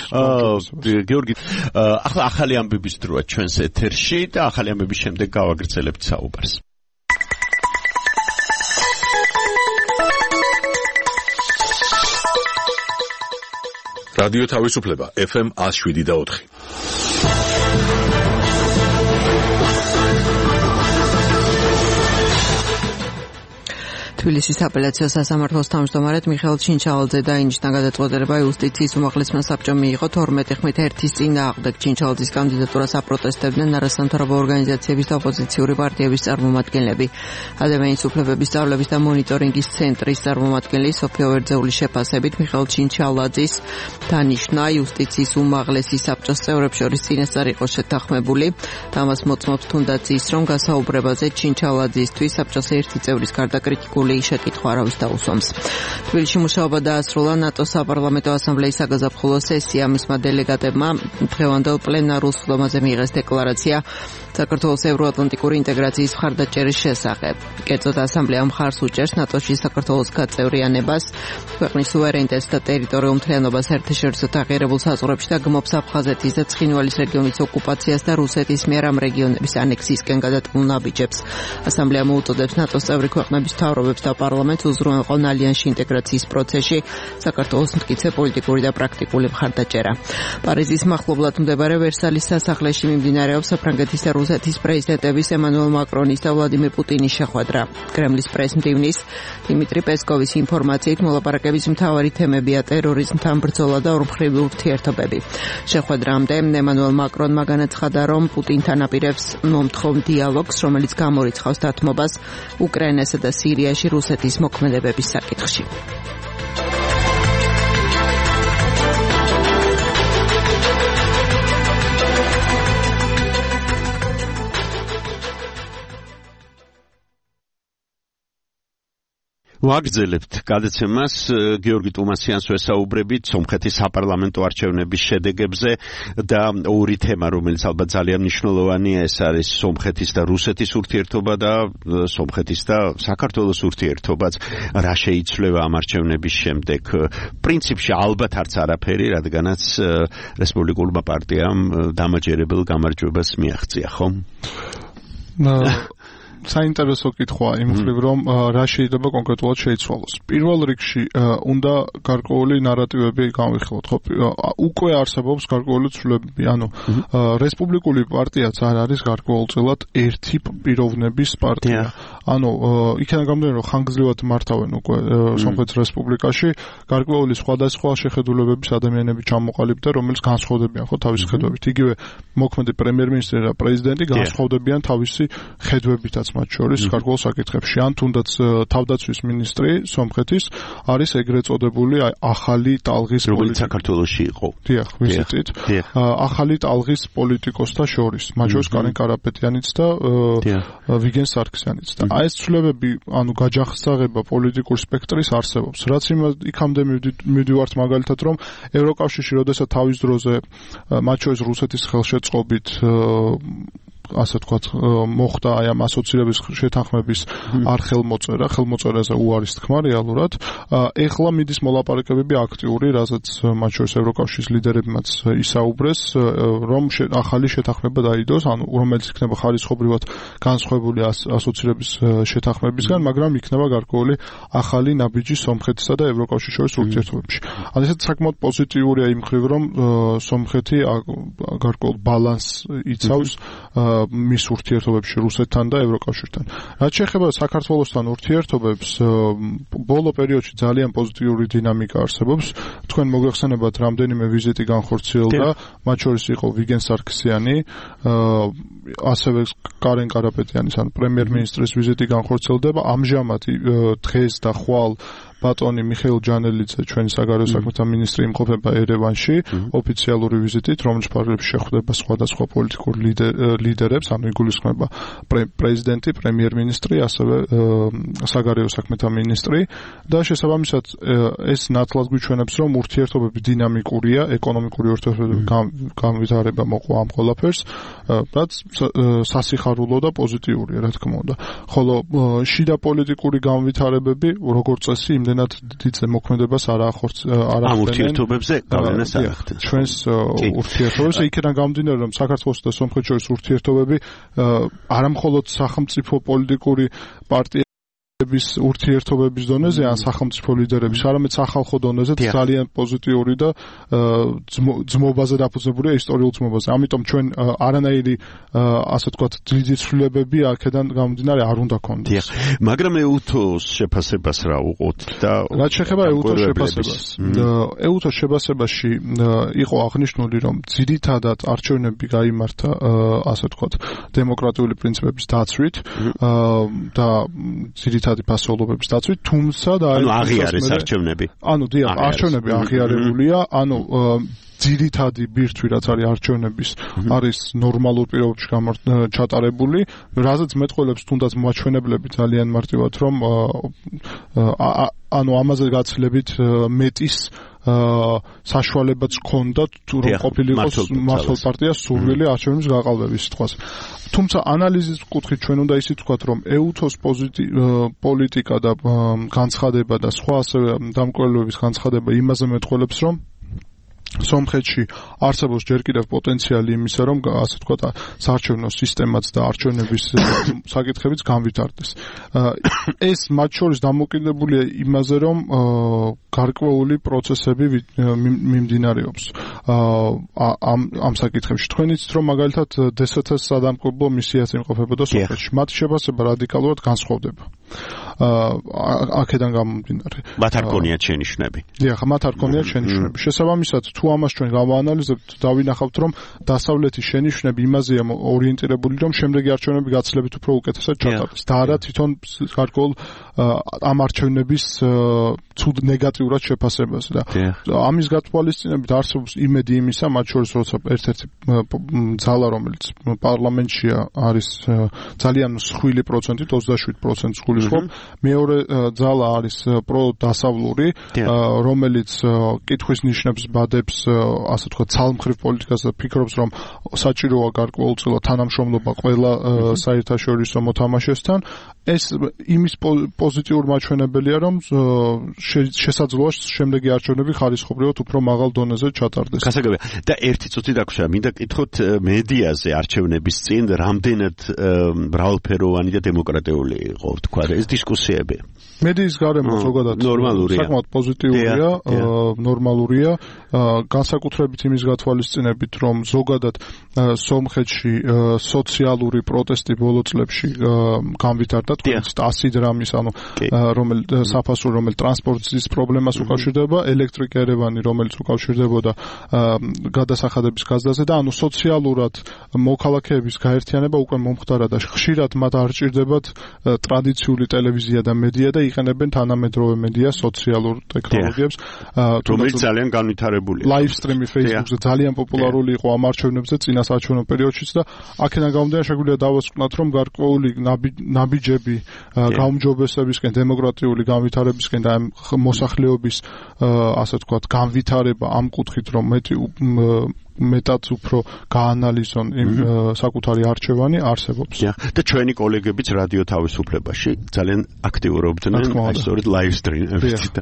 გეორგი, ახლა ახალი ამბების დროა ჩვენს ეთერში და ახალი ამბების შემდეგ გავაგრძელებთ საუბარს. რადიო თავისუფლება ეფ ემ one oh seven და four. თბილისის აპელაციო სასამართლოს თავმჯდომარედ მიხეილ ჩინჩალაძე დაინიშნა გადაწყვეტილება იუსტიციის უმაღლესმა საბჭომ მიიღო თორმეტი ხმით ერთის წინააღმდეგ. ჩინჩალაძის კანდიდატურას აპროტესტებდნენ არასამთავრობო ორგანიზაციების და ოპოზიციური პარტიების წარმომადგენლები. ადამიანის უფლებების სწავლების და მონიტორინგის ცენტრის წარმომადგენელი სოფია ვერძეულის შეფასებით მიხეილ ჩინჩალაძის დანიშნა იუსტიციის უმაღლესი საბჭოს წევრებს შორის წინასწარ იყო შეთანხმებული. ამას მოწმობს თუნდაც ის, რომ გასაუბრებაზე ჩინჩალაძისთვის საბჭოს ერთი წევრის გარდა კრიტიკული შეკითხვა არავის დაუსვამს. თბილისში მუშაობა დაასრულა ნატოს საპარლამენტო ასამბლეის საგაზაფხულო სესია. მისმა დელეგატებმა დღევანდელ პლენარულ სხდომაზე მიიღეს დეკლარაცია საქართველოს ევროატლანტიკური ინტეგრაციის მხარდაჭერის შესახებ. კერძოდ ასამბლეა მხარს უჭერს ნატოში საქართველოს გაწევრიანებას, ქვეყნის სუვერენიტეტს და ტერიტორიულ მთლიანობას საერთაშორისო აღიარებულ საზღვრებში და გმობს აფხაზეთის და ცხინვალის რეგიონის ოკუპაციას და რუსეთის მიერ ამ რეგიონების ანექსიისკენ გადატანულ ნაბიჯებს. ასამბლეა მოუწოდებს ნატოს წევრი ქვეყნების მთავრობებს და პარლამენტს უზრუნველყონ ალიანსში ინტეგრაციის პროცესში საქართველოს მტკიცე პოლიტიკური და პრაქტიკული მხარდაჭერა. პარიზის მახლობლად მდებარე ვერსალის სასახლეში მიმდინარეობს საფრანგეთის და რუსეთის პრეზიდენტების ემანუელ მაკრონის და ვლადიმერ პუტინის შეხვედრა. კრემლის პრეს-მდივნის დიმიტრი პესკოვის ინფორმაციით მოლაპარაკების მთავარი თემებია ტერორიზმთან ბრძოლა და ორმხრივი ურთიერთობები. შეხვედრამდე ემანუელ მაკრონმა განაცხადა, რომ პუტინთან აპირებს მომთხოვ დიალოგს, რომელიც გამორიცხავს დათმობას უკრაინასა და სირიაში რუსეთის მოქმედებების საკითხში. ვაგრძელებთ გადაცემას გიორგი ტუმასიანს ვესაუბრებით სომხეთის საპარლამენტო არჩევნების შედეგებზე და ორი თემა, რომელიც ალბათ ძალიან მნიშვნელოვანია, ეს არის სომხეთის და რუსეთის ურთიერთობა და სომხეთის და საქართველოს ურთიერთობაც. რა შეიცვლება ამ არჩევნების შემდეგ? პრინციპში ალბათ არც არაფერი, რადგანაც რესპუბლიკურმა პარტიამ დამაჯერებელ გამარჯვებას მიაღწია, ხო? საინტერესო კითხვა იმ მხრივ, რომ რა შეიძლება კონკრეტულად შეიცვალოს. პირველ რიგში უნდა გარკვეული ნარატივები განვიხილოთ, ხო? უკვე არსებობს გარკვეული ცვლილებები, ანუ რესპუბლიკური პარტიაც არ არის გარკვეულწილად ერთი პიროვნების პარტია. ანუ იქიდან გამომდინარე, რომ ხანგრძლივად მართავენ უკვე სომხეთის რესპუბლიკაში გარკვეული სხვადასხვა შეხედულებების ადამიანები ჩამოყალიბდა, რომელიც განსხვავდებიან ხო თავისი ხედვებით. იგივე მოქმედი პრემიერ-მინისტრი და პრეზიდენტი განსხვავდებიან თავისი ხედვებითაც მათ შორის გარკვეულ საკითხებში. ან თუნდაც თავდაცვის მინისტრი სომხეთის არის ეგრეთ წოდებული ახალი ტალღის პოლიტიკოსი საქართველოში იყო. დიახ, ვიზიტით. ახალი ტალღის პოლიტიკოსთა შორის, მათ შორის კარენ კარაპეტიანიც და ვიგენ სარქისიანიც. და აი ეს ცვლილებები, ანუ გაჯახსაღება პოლიტიკურ სპექტრის არსებობს. რაც იქამდე მივდივართ მაგალითად, რომ ევროკავშირში როდესაც თავის დროზე მათ შორის რუსეთის ხელშეწყობით ასე ვთქვათ, მოხდა აი ამ ასოცირების შეთანხმების არ ხელმოწერა, ხელმოწერაზე უარის თქმა რეალურად. ეხლა მიდის მოლაპარაკებები აქტიური, რასაც მათ შორის ევროკავშირის ლიდერებმაც ისაუბრეს, რომ ახალი შეთანხმება დაიდოს, ანუ რომელიც იქნება ხარისხობრივად განსხვავებული ასოცირების შეთანხმებისგან, მაგრამ იქნება გარკვეული ახალი ნაბიჯი სომხეთისა და ევროკავშირის შორის ურთიერთობებში. ანუ ესეც საკმაოდ პოზიტიურია იმ მხრივ, რომ სომხეთი გარკვეულ ბალანსს იცავს მის ურთიერთობებში რუსეთთან და ევროკავშირთან. რაც შეეხება საქართველოსთან ურთიერთობებს, ბოლო პერიოდში ძალიან პოზიტიური დინამიკა არსებობს. თქვენ მოგეხსენებათ, რამდენიმე ვიზიტი განხორციელდა, მათ შორის იყო ვიგენ სარქისიანი, ასევე კარენ კარაპეტიანის, ან პრემიერ-მინისტრის ვიზიტი განხორციელდება. ამჟამად დღეს და ხვალ ბატონი მიხეილ ჯანელიძე, ჩვენი საგარეო საქმეთა მინისტრი, იმყოფება ერევანში ოფიციალური ვიზიტით, რომლის ფარგლებში შეხვდება სხვადასხვა პოლიტიკურ ლიდერებს, ანუ იგულისხმება პრეზიდენტი, პრემიერ-მინისტრი, ასევე საგარეო საქმეთა მინისტრი და შესაბამისად ეს ნათლად გვიჩვენებს, რომ ურთიერთობები დინამიკურია, ეკონომიკური ურთიერთობების განვითარება მოყვა ამ ყველაფერს, რაც სასიხარულო და პოზიტიურია, რა თქმა უნდა. ხოლო შიდა პოლიტიკური განვითარებები, როგორც წესი, იმდენად დიდ მოქმედებას არ ახორციელებენ. ამ ურთიერთობებზე გავლენას არ ახდენს. ჩვენს ურთიერთობებზე იქიდან გამომდინარე, რომ საქართველოს და სომხეთის შორის ურთიერთობები არა მხოლოდ სახელმწიფო პოლიტიკური პარტია ების ურთიერთობების დონეზე ან სახელმწიფო ლიდერების, არამედ სახალხო დონეზე ძალიან პოზიტიური და ძმობაზე დაფუძნებულია ისტორიულ ძმობაზე. ამიტომ ჩვენ არანაირი ასე ვთქვათ დიდი ცვლილებები აქედან გამომდინარე არ უნდა გქონდეს. მაგრამ ეუთოს შეფასებას რა უყოთ და რაც შეეხება ეუთოს შეფასებას. ეუთოს შეფასებაში იყო აღნიშნული, რომ ძირითადად არჩევნები გაიმართა ასე ვთქვათ დემოკრატიული პრინციპების დაცვით და ძირითადი ფასეულობების დაცვით, თუმცა და ანუ აღიარეს არჩევნები. ანუ დიახ, არჩევნები აღიარებულია, ანუ ძირითადი ბირთვი რაც არის არჩევნების არის ნორმალურ პირობებში ჩატარებული, რაზეც მეტყველებს თუნდაც მოაჩვენებლები ძალიან მარტივად, რომ ანუ ამაზე გაცილებით მეტის საშუალებაც ჰქონდათ თუ რომ ყოფილიყოს მართლ პარტიას სურვილი არჩევნების გაყალბების სიტყვას. თუმცა ანალიზის კუთხით ჩვენ უნდა ისიც ვთქვათ, რომ ეუთოს პოლიტიკა და განცხადება და სხვა ასევე დამკვლელობების განცხადება იმაზე მეტყველებს, რომ სომხეთში არსებობს ჯერ კიდევ პოტენციალი იმისა, რომ ასე ვთქვათ, საარჩევნო სისტემაც და არჩევნების საკითხებიც განვითარდეს. ეს მათ შორის დამოკიდებულია იმაზე, რომ გარკვეული პროცესები მიმდინარეობს ამ ამ საკითხებში. თქვენ იცით, რომ მაგალითად დე ეს ათას სადამკვირვებლო მისიაც იმყოფებოდა სომხეთში. მათი შეფასება რადიკალურად განსხვავდება. აქედან გამომდინარე. მათ არ გქონიათ შენიშვნები. დიახ, მათ არ გქონიათ შენიშვნები. შესაბამისად, თუ ამას ჩვენ გავაანალიზებთ, დავინახავთ, რომ დასავლეთის შენიშვნები იმაზეა ორიენტირებული, რომ შემდეგი არჩევნები გაცილებით უფრო უკეთესად ჩატარდეს. და არა თვითონ გარკვეულ ამ არჩევნების ცუდ ნეგატიურად შეფასებას და ამის გათვალისწინებით არსებობს იმედი იმისა, მათ შორის როცა ერთ-ერთი ძალა, რომელიც პარლამენტშია არის ძალიან მსხვილი პროცენტით, ოცდაშვიდ პროცენტს გულისხმობ, მეორე ძალა არის პროდასავლური, რომელიც კითხვის ნიშნებს ბადებს, ასე ვთქვათ, ცალმხრივ პოლიტიკას და ფიქრობს, რომ საჭიროა გარკვეულწილად თანამშრომლობა ყველა საერთაშორისო მოთამაშესთან. ეს იმის პოზიტიური მაჩვენებელია, რომ შესაძლოა შემდეგი არჩევნები ხარისხობრივად უფრო მაღალ დონეზე ჩატარდეს. გასაგებია. და ერთი წუთი დაგვრჩა, მინდა კითხოთ მედიაზე არჩევნების წინ რამდენად მრავალფეროვანი და დემოკრატიული იყო, თქვა, ეს დისკუსიები. მედიის გარემო ზოგადად საკმაოდ პოზიტიურია, ნორმალურია, განსაკუთრებით იმის გათვალისწინებით, რომ ზოგადად სომხეთში სოციალური პროტესტი ბოლო წლებში განვითარდა, თქვენს ას დრამის, ანუ რომელიც საფასური, რომელიც ტრანსპორტის პრობლემას უკავშირდება, ელექტრიკა ერევანი, რომელიც უკავშირდებოდა გადასახადების გაზდაზე და ანუ სოციალურად მოქალაქეების გაერთიანება უკვე მომხდარა და ხშირად მათ არ ჭირდებათ ტრადიციული ტელევიზია და მედია და იყენებენ თანამედროვე მედია, სოციალურ ტექნოლოგიებს, რომელიც ძალიან განვითარებულია. ლაივ სტრიმი Facebook-ზე ძალიან პოპულარული იყო ამ არჩევნებზე წინა საარჩევნო პერიოდშიც და აქედან გამომდინარე შეგვიძლია დავასკვნათ, რომ გარკვეული ნაბიჯები გაუმჯობესებისკენ, დემოკრატიული განვითარებისკენ და მოსახლეობის ასე ვთქვათ, განვითარება ამ კუთხით, რომ მეტი მეტად უფრო გაანალიზონ იმ საკუთარი არჩევანი არსებობს. და ჩვენი კოლეგებიც რადიო თავისუფლებაში ძალიან აქტიურობდნენ აი სწორედ ლაივ სტრიმებით.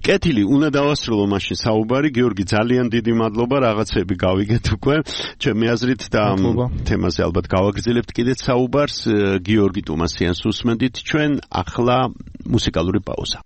კეთილი, უნდა დავასრულო მაშინ საუბარი. გიორგი, ძალიან დიდი მადლობა, რაღაცები გავიგეთ უკვე. ჩემი აზრით და ამ თემაზე ალბათ გავაგრძელებთ კიდეც საუბარს. გიორგი ტუმასიანს უსმენდით ჩვენ, ახლა მუსიკალური პაუზა.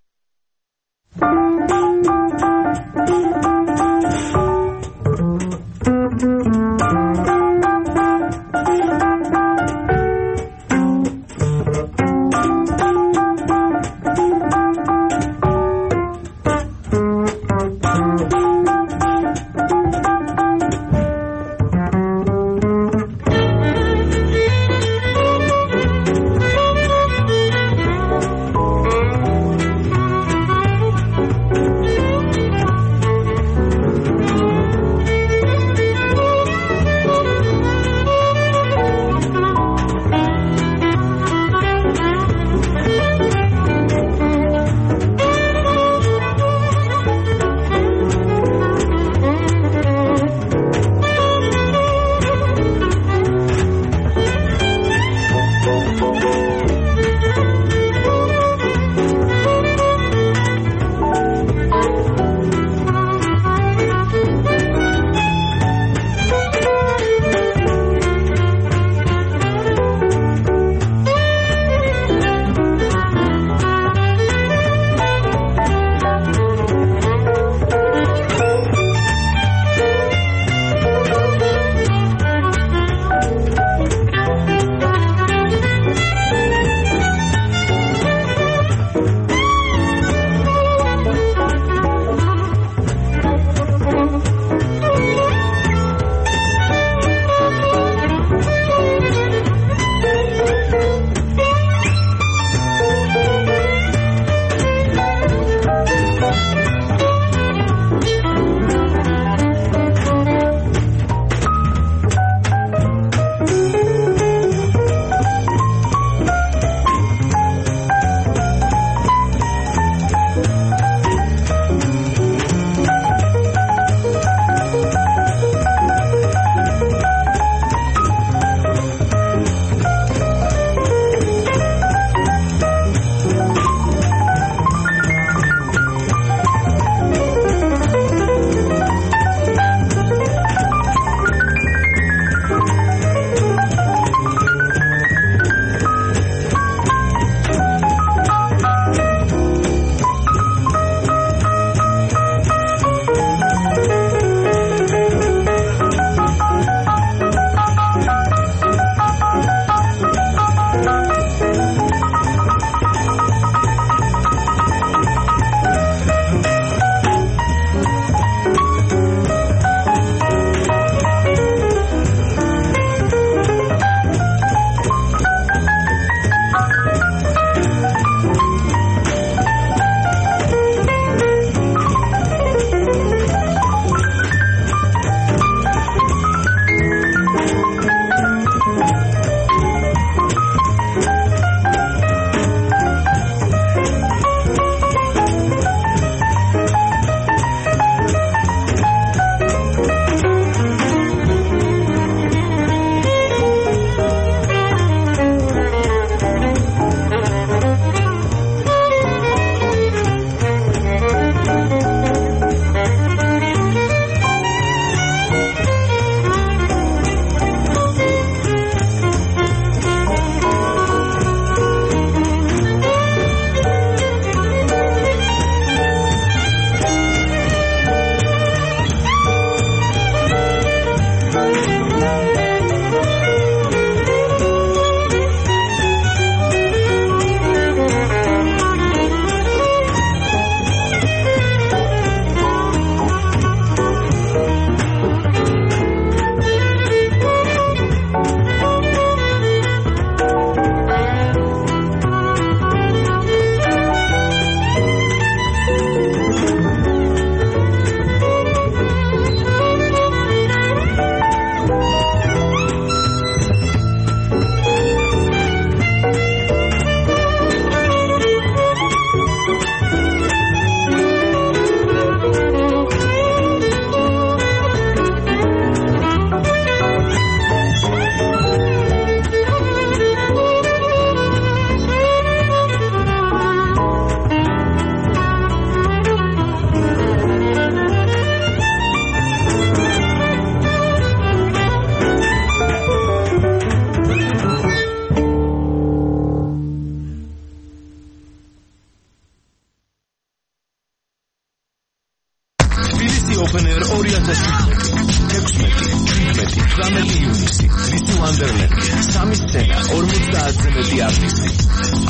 მეთერთმეტი არტისტი.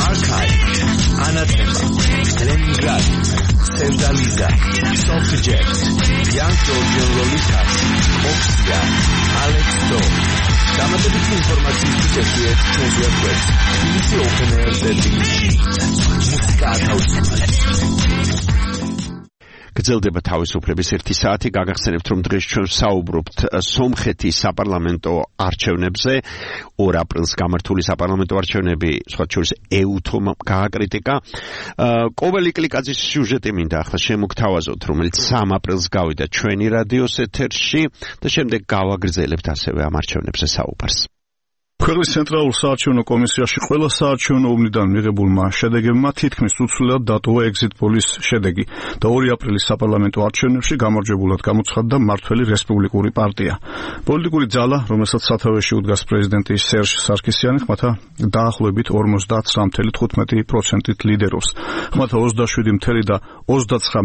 Archive, Anathema, Leningrad, Sevdaliza, Softjet, Young Georgian Lolitas, Oxia, Alex Do. დამატებითი ინფორმაციის შესვიეთ ჩვენს ვებგვერდს ბი ბი სი Open Air სერვისში. მუსიკა თავისუფლად. გრძელდება თავისუფლების ერთი საათი. გაგახსენებთ, რომ დღეს ჩვენ საუბრობთ სომხეთის საპარლამენტო არჩევნებზე. ორ აპრილს გამართული საპარლამენტო არჩევნები, სხვა შორის ეუთომ გააკრიტიკა. კობელი კლიკაძის სიუჟეტი მინდა ახლა შემოგთავაზოთ, რომელიც სამ აპრილს გავიდა ჩვენი რადიოს ეთერში და შემდეგ გავაგრძელებთ ასევე ამ არჩევნებზე საუბარს. ქვეყნის ცენტრალურ საარჩევნო კომისიაში ყველა საარჩევნო უბნიდან მიღებულმა შედეგებმა თითქმის უცვლელად დატოვა ეგზიტ პოლის შედეგი და ორი აპრილის საპარლამენტო არჩევნებში გამარჯვებულად გამოცხადდა მმართველი რესპუბლიკური პარტია. პოლიტიკური ძალა, რომელსაც სათავეში უდგას პრეზიდენტი სერჟ სარქისიანი, ხმათა დაახლოებით ორმოცდათსამ წუთი თხუთმეტი პროცენტით ლიდერობს. ხმათა ოცდაშვიდი და ოცდაცხრა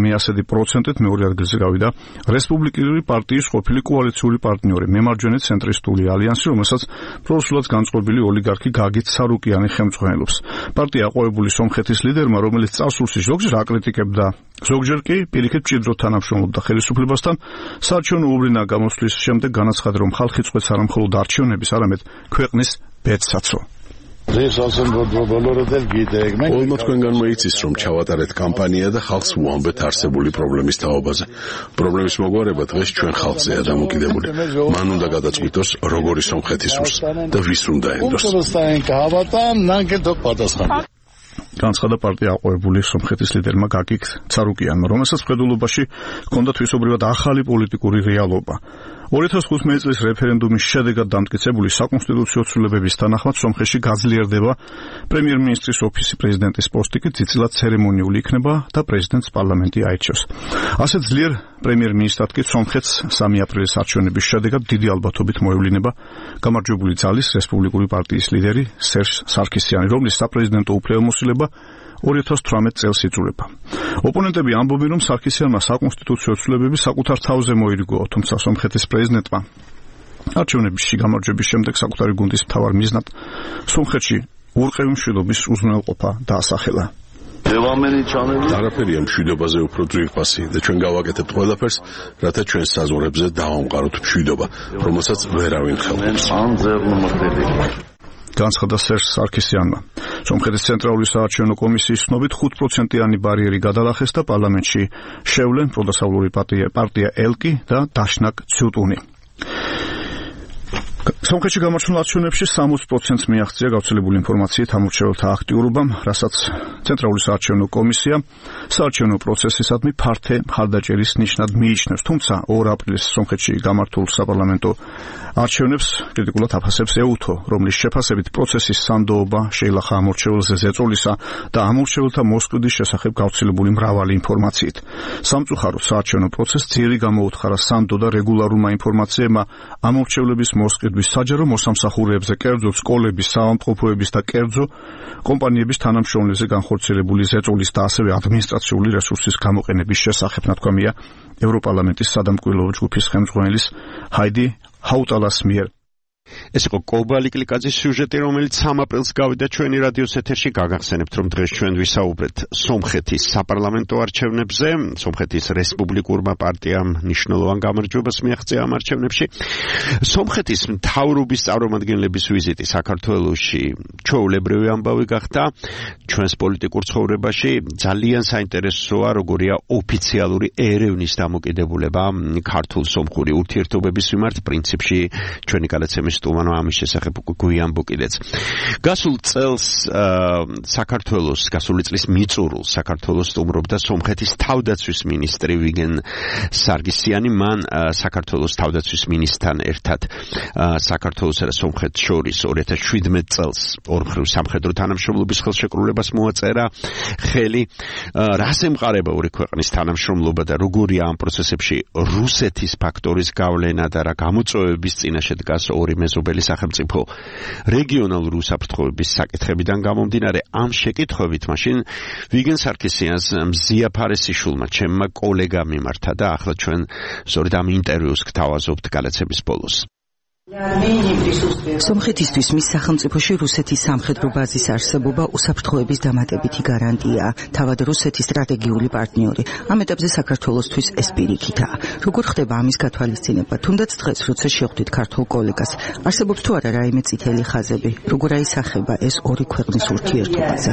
პროცენტით მეორე ადგილზე გავიდა რესპუბლიკური პარტიის ყოფილი კოალიციური პარტნიორი მემარჯვენე ცენტრისტული ალიანსი, რომელსაც პროსულად განწყობილი ოლიგარქი გაგით სარუკიანი ხელმძღვანელობს. პარტია აყვავებული სომხეთის ლიდერმა, რომელიც წარსულში ზოგჯერ აკრიტიკებდა, ზოგჯერ კი პირიქით მჭიდროდ თანამშრომლობდა ხელისუფლებასთან, საარჩევნო უბრინა გამოსვლის შემდეგ განაცხადა, რომ ხალხი წყვეტს არა მხოლოდ არჩევნების, არამედ ქვეყნის ბედსაცო. Olma თქვენგანმა იცის, რომ ჩავატარეთ კამპანია და ხალხს ვუამბეთ არსებული პრობლემის თაობაზე. პრობლემის მოგვარება დღეს ჩვენ ხალხზეა დამოკიდებული. მან უნდა გადაწყვიტოს, როგორი სომხეთი სურს და ვის უნდა ენდოს. განცხადა პარტია აყვავებული სომხეთის ლიდერმა გაგიკ ცარუკიანმა, რომელსაც მხედველობაში ჰქონდა თვისობრივად ახალი პოლიტიკური რეალობა. ორი ათას ხუთმეტი წლის რეფერენდუმის შედეგად დამტკიცებული საკონსტიტუციო ცვლილებების თანახმად სომხეთში გაძლიერდება პრემიერ-მინისტრის ოფისი, პრეზიდენტის პოსტი კი ძირითადად ცერემონიული იქნება და პრეზიდენტს პარლამენტი აირჩევს. ასეთ ძლიერ პრემიერ-მინისტრად კი სომხეთს სამი აპრილის არჩევნების შედეგად დიდი ალბათობით მოევლინება გამარჯვებული ძალის რესპუბლიკური პარტიის ლიდერი სერჟ სარქისიანი, რომლის საპრეზიდენტო უფლებამოსილება ორი ათას თვრამეტი წელს იწურება. ოპონენტები ამბობენ, რომ სარქისიანმა საკონსტიტუციო ცვლილებები საკუთარ თავზე მოირიგო, თუმცა სომხეთის პრეზიდენტმა არჩევნებში გამარჯვების შემდეგ საკუთარი გუნდის მთავარ მიზნად სომხეთში ურყევი მშვიდობის უზრუნველყოფა დაასახელა. არაფერია მშვიდობაზე უფრო ძვირფასი და ჩვენ გავაკეთებთ ყველაფერს, რათა ჩვენ საზღვრებზე დავამყაროთ მშვიდობა, რომელსაც ვერავინ ხელობს. განცხადა სერჟ სარქისიანმა. სომხეთის ცენტრალური საარჩევნო კომისიის ცნობით ხუთ პროცენტიანი ბარიერი გადალახეს და პარლამენტში შევლენ პროდასავლური პარტია ელკი და დაშნაკ ციუტუნი. სომხეთში გამარჯვებულ არჩევნებში სამოცი პროცენტს მიაღწია გავრცელებული ინფორმაციით ამორჩეველთა აქტიურობამ, რასაც ცენტრალური საარჩევნო კომისია საარჩევნო პროცესისადმი ფართე მხარდაჭერის ნიშნად მიიჩნევს. თუმცა ორ აპრილის სომხეთში გამართულ საპარლამენტო არჩევნებს კრიტიკულად აფასებს ეუთო, რომლის შეფასებით პროცესის სანდოობა შეილახა ამორჩეველზე ზეწოლისა და ამორჩეველთა მოსყიდვის შესახებ გავრცელებული მრავალი ინფორმაციით. სამწუხაროდ საარჩევნო პროცესს ძირი გამოუთხარა სანდო და რეგულარულმა ინფორმაციებმა ამორჩევლების მოსყიდვის საჯარო მოსამსახურეებზე, კერძო სკოლების, საავადმყოფოების და კერძო კომპანიების თანამშრომლებზე განხორციელებული ზეწოლის და ასევე ადმინისტრაციული რესურსის გამოყენების შესახებ, ნათქვამია ევროპარლამენტის სადამკვირვებლო ჯგუფის ხელმძღვანელის ჰაიდი ჰაუტალას მიერ. ეს იყო კობალი კლიკაძის სიუჟეტი, რომელიც სამ აპრილს გავიდა ჩვენი რადიოს ეთერში. გაგახსენებთ, რომ დღეს ჩვენ ვისაუბრეთ სომხეთის საპარლამენტო არჩევნებზე. სომხეთის რესპუბლიკურმა პარტიამ მნიშვნელოვან გამარჯვებას მიაღწია ამ არჩევნებში. სომხეთის მთავრობის წარმომადგენლების ვიზიტი საქართველოში ჩვეულებრივი ამბავი გახდა. ჩვენს პოლიტიკურ ცხოვრებაში ძალიან საინტერესოა, როგორია ოფიციალური ერევნის დამოკიდებულება ქართულ სომხური ურთიერთობების მიმართ. პრინციპში ჩვენი გადაცემის სტუმარმა ამის შესახებ გვიამბო კიდეც. გასულ წელს საქართველოს, გასული წლის მიწურულს საქართველოს სტუმრობდა სომხეთის თავდაცვის მინისტრი ვიგენ სარგისიანი. მან საქართველოს თავდაცვის მინისტრთან ერთად საქართველოსა და სომხეთს შორის ორი ათას შვიდმეტი წელს ორმხრივ სამხედრო თანამშრომლობის ხელშეკრულებას მოაწერა ხელი. რას ემყარება ორი ქვეყნის თანამშრომლობა და როგორია ამ პროცესებში რუსეთის ფაქტორის გავლენა და რა გამოწვევების წინაშე დგას ორი მეზობელი სახელმწიფო რეგიონალური უსაფრთხოების საკითხებიდან გამომდინარე. ამ შეკითხვებით მაშინ ვიგენ სარქისიანს მზია ფარესიშვილმა, ჩემმა კოლეგამ მიმართა და ახლა ჩვენ სწორედ ამ ინტერვიუს გთავაზობთ გადაცემის ბოლოს. სომხეთისთვის მის სახელმწიფოში რუსეთის სამხედრო ბაზის არსებობა უსაფრთხოების დამატებითი გარანტია, თავად რუსეთის სტრატეგიული პარტნიორი. ამ ეტაპზე საქართველოსთვის ეს პირიქითაა. როგორ ხდება ამის გათვალისწინება? თუნდაც დღეს, როცა შეხვდით ქართულ კოლეგას, არსებობს თუ არა რაიმე წითელი ხაზები? როგორ აისახება ეს ორი ქვეყნის ურთიერთობაზე?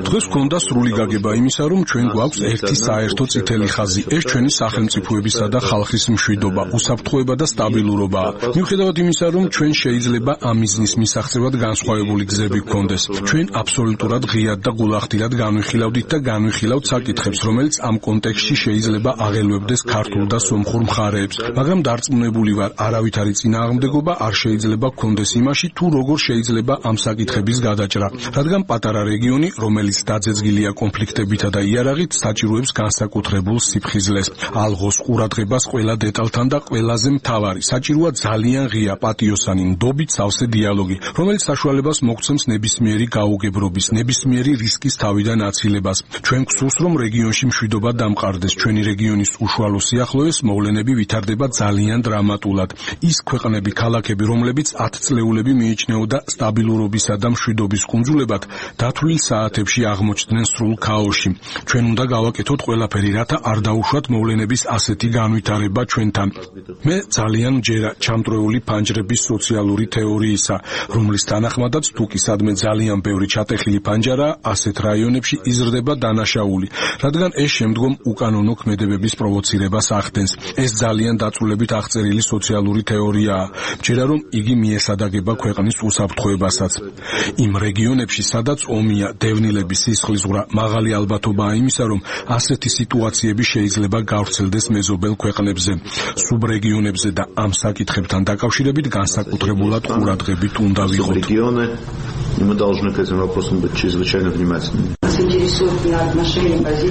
დღეს გვქონდა სრული გაგება იმისა, რომ ჩვენ გვაქვს ერთი საერთო წითელი ხაზი. ეს ჩვენი სახელმწიფოებისა და ხალხის მშვიდობა, უსაფრთხოება და სტაბილურობა. მიუხედავად იმისა, რომ ჩვენ შეიძლება ამ მიზნის მისაღწევად განსხვავებული გზები გქონდეს, ჩვენ აბსოლუტურად ღიად და გულახდილად განვიხილავდით და განვიხილავთ საკითხებს, რომელიც ამ კონტექსტში შეიძლება აღელვებდეს ქართულ და სომხურ მხარეებს, მაგრამ დარწმუნებული ვარ, არავითარი წინააღმდეგობა არ შეიძლება გქონდეს იმაში, თუ როგორ შეიძლება ამ საკითხების გადაჭრა, რადგან პატარა რეგიონი, რომელიც დაძეძგილია კონფლიქტებითა და იარაღით, საჭიროებს განსაკუთრებულ სიფხიზლეს, ალღოს ყურადღებას ყველა დეტალთან და ყველაზე მთავარი, საჭიროა ძალიან ღია, პატიოსანი, ნდობით სავსე დიალოგი, რომელიც საშუალებას მოგცემს ნებისმიერი გაუგებრობის, ნებისმიერი რისკის თავიდან აცილებას. ჩვენ გვსურს, რომ რეგიონში მშვიდობა დამყარდეს, ჩვენი რეგიონის უშუალო სიახლოვეს მოვლენები ვითარდება ძალიან დრამატულად. ის ქვეყნები, ქალაქები, რომლებიც ათწლეულები მიიჩნეოდა სტაბილურობისა და მშვიდობის კუნძულებად, დათვლილ საათებში აღმოჩნდნენ სრულ ქაოსში. ჩვენ უნდა გავაკეთოთ ყველაფერი, რათა არ დაუშვათ მოვლენების ასეთი განვითარება ჩვენთან. მე ძალიან მჯერა ჩამწრეული ფანჯრების სოციალური თეორიისა, რომლის თანახმადაც თუ კი სადმე ძალიან ბევრი ჩატეხილი ფანჯარა, ასეთ რაიონებში იზრდება დანაშაული, რადგან ეს შემდგომ უკანონო ქმედებების პროვოცირებას ახდენს. ეს ძალიან დაწვრილებით აღწერილი სოციალური თეორიაა. მჯერა რომ იგი მიესადაგება ქვეყნის უსაფრთხოებასაც. იმ რეგიონებში, სადაც ომია, დევნილები, სისხლისღვრა, მაღალი ალბათობაა იმისა, რომ ასეთი სიტუაციები შეიძლება გავრცელდეს მეზობელ ქვეყნებზე, სუბრეგიონებზე და ამ საკითხებთან დაკავშირებით განსაკუთრებულად ყურადღებით უნდა ვიყოთ. И мы должны к этим вопросам быть чрезвычайно внимательными.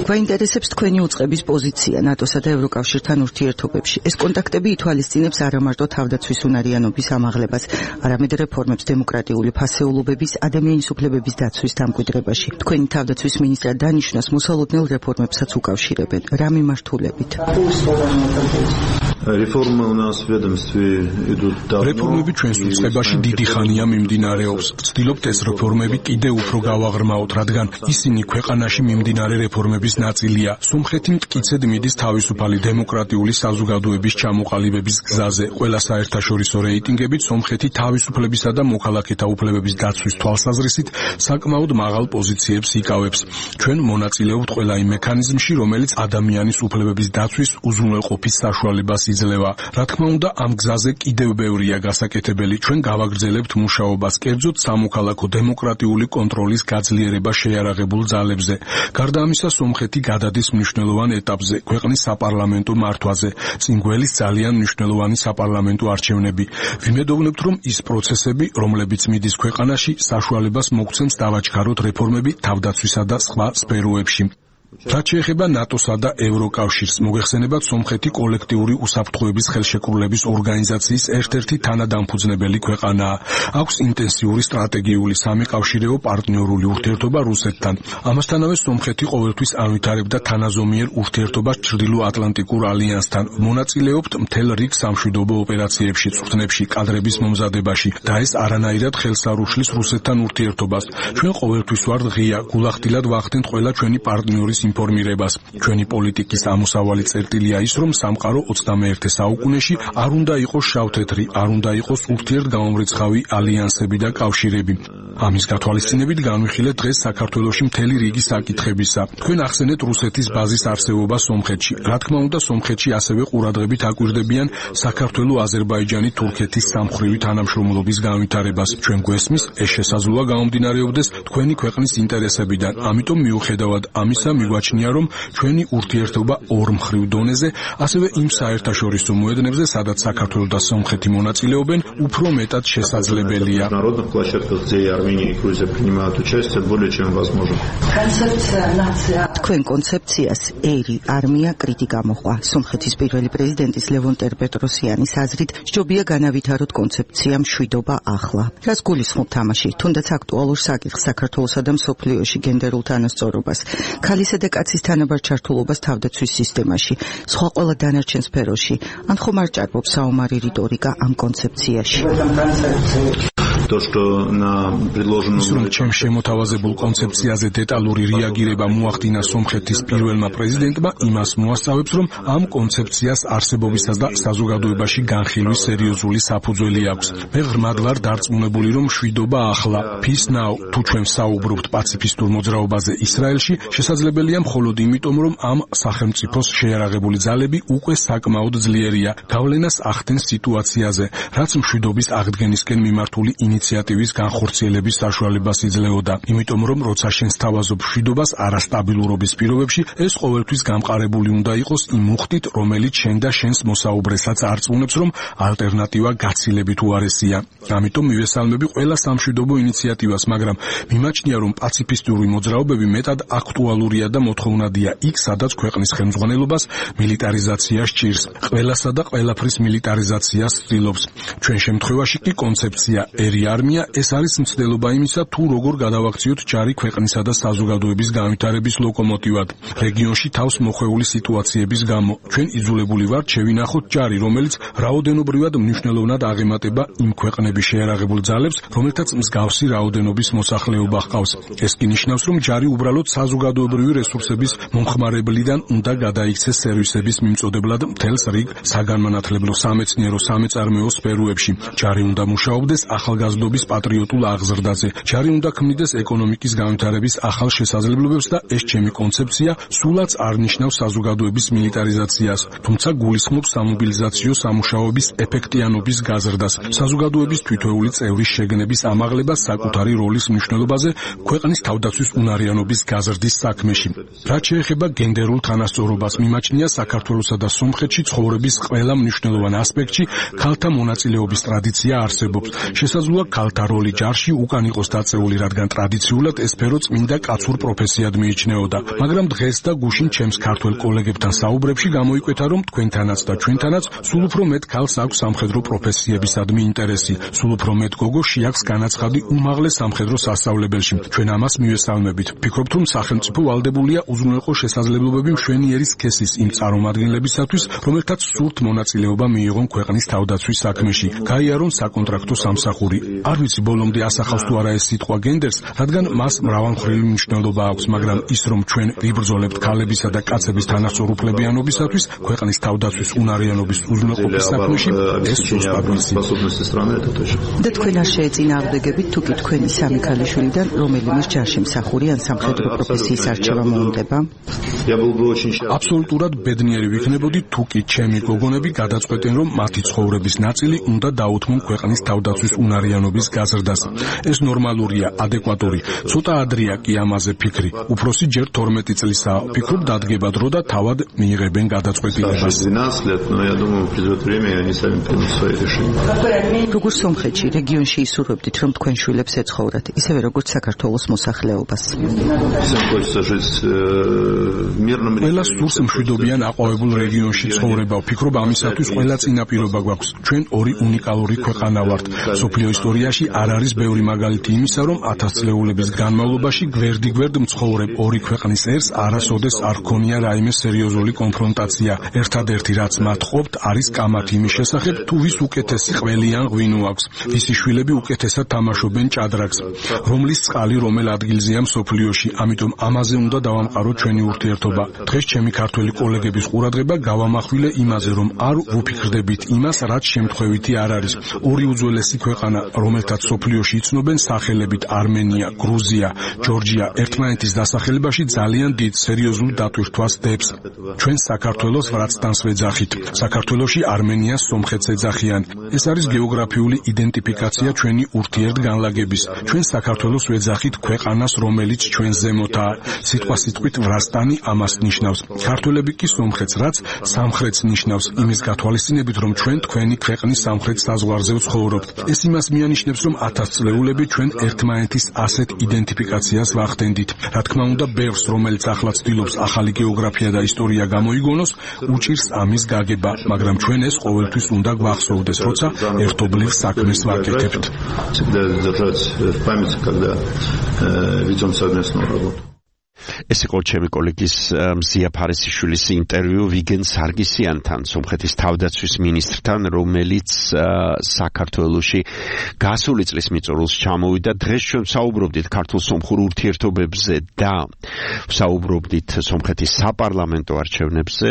გვაინტერესებს თქვენი უწყების პოზიცია ნატოსა და ევროკავშირთან ურთიერთობებში. ეს კონტაქტები ითვალისწინებს არა მარტო თავდაცვის უნარიანობის ამაღლებას, არამედ რეფორმებს დემოკრატიული ფასეულობების, ადამიანის უფლებების დაცვის დამკვიდრებაში. თქვენი თავდაცვის მინისტრად დანიშვნას მოსალოდნელ რეფორმებსაც უკავშირებენ. რა მიმართულებით? Реформы у нас в ведомстве идут давно. რეფორმები ჩვენს უწყებაში დიდი ხანია მიმდინარეობს. ვცდილობთ ეს რეფორმები კიდევ უფრო გავაღრმავოთ, რადგან ისინი ქვეყანაში მიმდინარე რეფორმების ნაწილია. სომხეთი მტკიცედ მიდის თავისუფალი დემოკრატიული საზოგადოების ჩამოყალიბების გზაზე. ყველა საერთაშორისო რეიტინგებით სომხეთი თავისუფლებისა და მოქალაქეთა უფლებების დაცვის თვალსაზრისით საკმაოდ მაღალ პოზიციებს იკავებს. ჩვენ მონაწილეობთ ყველა იმ მექანიზმში, რომელიც ადამიანის უფლებების დაცვის უზრუნველყოფის საშუალებას იძლევა. რა თქმა უნდა, ამ გზაზე კიდევ ბევრია გასაკეთებელი. ჩვენ გავაგრძელებთ მუშაობას, კერძოდ სამოქალაქო დემოკრატიული კონტროლის გაძლიერება შეიარაღებულ ძალებზე. გარდა ამისა, სომხეთი გადადის მნიშვნელოვან ეტაპზე, ქვეყნის საპარლამენტო მართვაზე. წინ გველის ძალიან მნიშვნელოვანი საპარლამენტო არჩევნები. ვიმედოვნებთ, რომ ის პროცესები, რომლებიც მიდის ქვეყანაში, საშუალებას მოგცემს დავაჩქაროთ რეფორმები თავდაცვისა და სხვა სფეროებში. რაც შეეხება ნატოსა და ევროკავშირს, მოგეხსენებათ, სომხეთი კოლექტიური უსაფრთხოების ხელშეკრულების ორგანიზაციის ერთ-ერთი თანადამფუძნებელი ქვეყანაა. აქვს ინტენსიური სტრატეგიული სამეკავშირეო პარტნიორული ურთიერთობა რუსეთთან. ამასთანავე სომხეთი ყოველთვის ანვითარებდა თანაზომიერ ურთიერთობას ჩრდილო-ატლანტიკურ ალიანსთან. მონაწილეობთ მთელ რიგ სამშვიდობო ოპერაციებში, წვრთნებში, კადრების მომზადებაში და ეს არანაირად ხელს არ უშლის რუსეთთან ურთიერთობას. ჩვენ ყოველთვის ვართ ღია, გულახდილად ვახდენთ ყველა ჩვენი პარტნიორის ინფორმირებას. ჩვენი პოლიტიკის ამოსავალი წერტილია ის, რომ სამყარო ოცდამეერთე საუკუნეში არ უნდა იყოს შავთეთრი, არ უნდა იყოს ურთიერთგამომრიცხავი ალიანსები და კავშირები. ამის გათვალისწინებით განვიხილეთ დღეს საქართველოში მთელი რიგი საკითხებისა. თქვენ ახსენეთ რუსეთის ბაზის არსებობა სომხეთში. რა თქმა უნდა, სომხეთში ასევე ყურადღებით აკვირდებიან საქართველოს, აზერბაიჯანის, თურქეთის სამხრივი თანამშრომლობის განვითარებას. ჩვენ გვესმის, ეს შესაძლოა გამომდინარეობდეს თქვენი ქვეყნის ინტერესებიდან. ამიტომ მიუხედავად ამისა, მიგვაჩნია, რომ ჩვენი ურთიერთობა ორმხრივ დონეზე, ასევე იმ საერთაშორისო მოედნებზე, სადაც საქართველო და სომხეთი მონაწილეობენ, უფრო მეტად შესაძლებელია. Армении и Грузия принимают участие, более чем возможно. თქვენ კონცეფციას ერი არმია კრიტიკა მოყვა. სომხეთის პირველი პრეზიდენტის ლევონ ტერპეტროსიანის აზრით, ჯობია განავითაროთ კონცეფცია მშვიდობა ახლა. რაც გულისხმობ თამაში, თუნდაც აქტუალურ საკითხს საქართველოსა და მსოფლიოში გენდერულ თანასწორობას, ქალისა და კაცის თანაბარ ჩართულობას თავდაცვის სისტემაში, სხვა ყველა დანარჩენ სფეროში, ან ხომ არ ჭარბობს საომარი რიტორიკა ამ კონცეფციაში? То, что на предложенном чем შემოთავაზებულ კონცეფციაზე დეტალური რეაგირება მოახდინა სომხეთის პირველმა პრეზიდენტმა, იმას მოასწავებს, რომ ამ კონცეფციას არსებობისას და საზოგადოებაში განხილვის სერიოზული საფუძველი აქვს. მე ღრმად ვარ დარწმუნებული, რომ მშვიდობა ახლა, peace now, თუ ჩვენ საუბრობთ პაციფისტურ მოძრაობაზე ისრაელში, შესაძლებელია მხოლოდ იმიტომ, რომ ამ სახელმწიფოს შეიარაღებული ძალები უკვე საკმაოდ ძლიერია გავლენას ახდენს სიტუაციაზე, რაც მშვიდობის აღდგენისკენ მიმართული ინიციატივის განხორციელების საშუალებას იძლეოდა. იმიტომ რომ როცა შენ სთავაზობ მშვიდობას არასტაბილურობის პირობებში, ეს ყოველთვის გამყარებული უნდა იყოს იმ მუხტით, რომელიც შენ და შენს მოსაუბრესაც არწმუნებს, რომ ალტერნატივა გაცილებით უარესია. ამიტომ მივესალმები ყველა სამშვიდობო ინიციატივას, მაგრამ მიმაჩნია, რომ პაციფისტური მოძრაობები მეტად აქტუალურია და მოთხოვნადია იქ, სადაც ქვეყნის ხელმძღვანელობას მილიტარიზაცია სჭირს. ყველასა და ყველაფრის მილიტარიზაციას ცდილობს. ჩვენ შემთხვევაში კი კონცეფცია ერი არმია ეს არის მცდელობა იმისა, თუ როგორ გადავაქციოთ ჯარი ქვეყნისა და საზოგადოების განვითარების ლოკომოტივად. რეგიონში თავს მოხვეული სიტუაციების გამო ჩვენ იძულებული ვართ შევინახოთ ჯარი, რომელიც რაოდენობრივად მნიშვნელოვნად აღემატება იმ ქვეყნების შეიარაღებულ ძალებს, რომელთაც მსგავსი რაოდენობის მოსახლეობა ჰყავს. ეს კი ნიშნავს, რომ ჯარი უბრალოდ საზოგადოებრივი რესურსების მომხმარებლიდან უნდა გადაიქცეს სერვისების მიმწოდებლად მთელს რიგ საგანმანათლებლო, სამეცნიერო, სამეწარმეო სფეროებში. ჯარი უნდა მუშაობდეს ახალგაზრდობის პატრიოტულ აღზრდაზე. ჯარი უნდა ქმნიდეს ეკონომიკის განვითარების ახალ შესაძლებლობებს და ეს ჩემი კონცეფცია სულაც არ ნიშნავს საზოგადოების მილიტარიზაციას, თუმცა გულისხმობს სამობილიზაციო სამუშაოების ეფექტიანობის გაზრდას, საზოგადოების თითოეული წევრის შეგნების ამაღლებას საკუთარი როლის მნიშვნელობაზე ქვეყნის თავდაცვის უნარიანობის გაზრდის საქმეში. რაც შეეხება გენდერულ თანასწორობას, მიმაჩნია საქართველოსა და სომხეთში ცხოვრების ყველა მნიშვნელოვან ასპექტში ქალთა მონაწილეობის ტრადიცია არსებობს. შესაძლოა ქალთა როლი ჯარში უკან იყოს დაწეული, რადგან ტრადიციულად ეს სფერო წმინდა კაცურ პროფესიად მიიჩნეოდა. მაგრამ დღეს და გუშინ ჩემს ქართველ კოლეგებთან საუბრებში გამოიკვეთა, რომ თქვენთანაც და ჩვენთანაც სულ უფრო მეტ ქალს აქვს სამხედრო პროფესიებისადმი ინტერესი, სულ უფრო მეტ გოგო შეაქვს განაცხადი უმაღლეს სამხედრო სასწავლებელში. ჩვენ ამას მივესალმებით. ვფიქრობთ, რომ სახელმწიფო ვალდებულია უზრუნველყო შესაძლებლობები მშვენიერი სქესის იმ წარმომადგენლებისათვის, რომელთაც სურთ მონაწილეობა მიიღონ ქვეყნის თავდაცვის საქმეში, გაიარონ საკონტრაქტო სამსახური. არ ვიცი ბოლომდე ასახავს თუ არა ეს სიტყვა გენდერს, რადგან მას მრავალმხრივი მნიშვნელობა აქვს, მაგრამ ის რომ ჩვენ ვიბრძოლებთ ქალებისა და კაცების თანასწორ უფლებიანობისათვის, ქვეყნის თავდაცვის უნარიანობის უზრუნველყოფის საქმეში, ეს სუსტად ვიცით. და თქვენ არ შეეწინააღმდეგებით თუ კი თქვენი სამი ქალიშვილიდან რომელიმე ჯარში მსახური ან სამხედრო პროფესიის არჩევა მოუნდება? აბსოლუტურად ბედნიერი ვიქნებოდი თუ კი ჩემი გოგონები გადაწყვეტენ, რომ მათი ცხოვრების ნაწილი უნდა დაუთმონ ქვეყნის თავდაცვის უნარიანობის გაზრდას. ეს ნორმალურია, ადეკვატური. ცოტა ადრეა კი ამაზე ფიქრი. უფროსი ჯერ თორმეტი წლისაა. ფიქრობ დადგება დრო და თავად მიიღებენ გადაწყვეტილებას. როგორ სომხეთში რეგიონში ისურვებდით, რომ თქვენ შვილებს ეცხოვრათ, ისევე როგორც საქართველოს მოსახლეობას? ყველა სურს მშვიდობიან აყვავებულ რეგიონში ცხოვრება. ვფიქრობ ამისათვის ყველა წინაპირობა გვაქვს. ჩვენ ორი უნიკალური ქვეყანა ვართ. სოფლიო ისტორიაში არ არის ბევრი მაგალითი იმისა, რომ ათასწლეულების განმავლობაში გვერდიგვერდ მცხოვრებ ორი ქვეყნის ერს არასოდეს არ ჰქონია რაიმე სერიოზული კონფრონტაცია. ერთადერთი რაც მათ ყოფთ არის კამათი იმის შესახებ, თუ ვის უკეთესი ყველი ან ღვინო აქვს, ვისი შვილები უკეთესად თამაშობენ ჭადრაკს, რომლის წყალი რომელ ადგილზეა მსოფლიოში. ამიტომ ამაზე უნდა დავამყაროთ ჩვენი ურთიერთობა. დღეს ჩემი ქართველი კოლეგების ყურადღება გავამახვილე იმაზე, რომ არ ვუფიქრდებით იმას, რაც შემთხვევითი არ არის. ორი უძველესი ქვეყანა, რომელთაც სოფლიოში იცნობენ სახელებით არმენია, გრუზია, ჯორჯია, ერთმანეთის დასახელებაში ძალიან დიდ სერიოზულ დატვირთვას დებს. ჩვენ საქართველოს ვრაცდანს ვეძახით. საქართველოში არმენიას სომხეთს ეძახიან. ეს არის გეოგრაფიული იდენტიფიკაცია ჩვენი ურთიერთგანლაგების. ჩვენ საქართველოს ვეძახით ქვეყანას, რომელიც ჩვენ ზემოთაა. სიტყვა სიტყვით ვრაცდანი ამას ნიშნავს. ქართველები კი სომხეთს, რაც სამხრეთს ნიშნავს, იმის გათვალისწინებით, რომ ჩვენ თქვენი ქვეყნის სამხრეთ საზღვარზე ვცხოვრობთ. ეს იმას მიანიშნავს, აღინიშნებს, რომ ათასწლეულები ჩვენ ერთმანეთის ასეთ იდენტიფიკაციას ვახდენდით. რა თქმა უნდა, ბევრს, რომელიც ახლა ცდილობს ახალი გეოგრაფია და ისტორია გამოიგონოს, უჭირს ამის გაგება, მაგრამ ჩვენ ეს ყოველთვის უნდა გვახსოვდეს, როცა ერთობლივ საქმეს ვაკეთებთ. ეს იყო ჩემი კოლეგის მზია ფარისიშვილის ინტერვიუ ვიგენ სარგისიანთან, სომხეთის თავდაცვის მინისტრთან, რომელიც საქართველოში გასული წლის მიწურულს ჩამოვიდა. დღეს ჩვენ საუბრობდით ქართულ-სომხურ ურთიერთობებზე და საუბრობდით სომხეთის საპარლამენტო არჩევნებზე,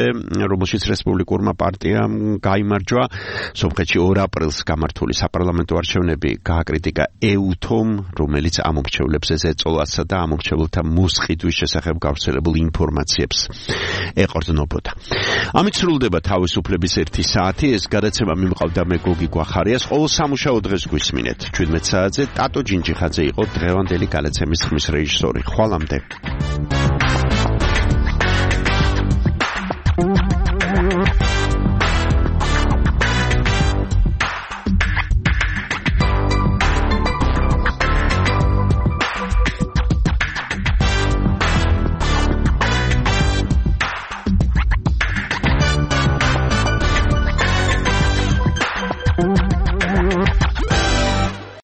რომელშიც რესპუბლიკურმა პარტიამ გაიმარჯვა. სომხეთში ორ აპრილს გამართული საპარლამენტო არჩევნები გააკრიტიკა ეუთომ, რომელიც ამორჩევლებს ეწოლასა და ამორჩევლთა მოსყიდვის შესახებ გავრცელებულ ინფორმაციებს ეყრდნობოდა. ამით სრულდება თავისუფლების ერთი საათი. ეს გადაცემა მიმყავდა მე გოგი გვახარიას. ყოველ სამუშაო დღეს გვისმინეთ. ჩვიდმეტ საათზე ტატო ჯინჯიხაძე იყო დღევანდელი გადაცემის ხმის რეჟისორი. ხვალამდე.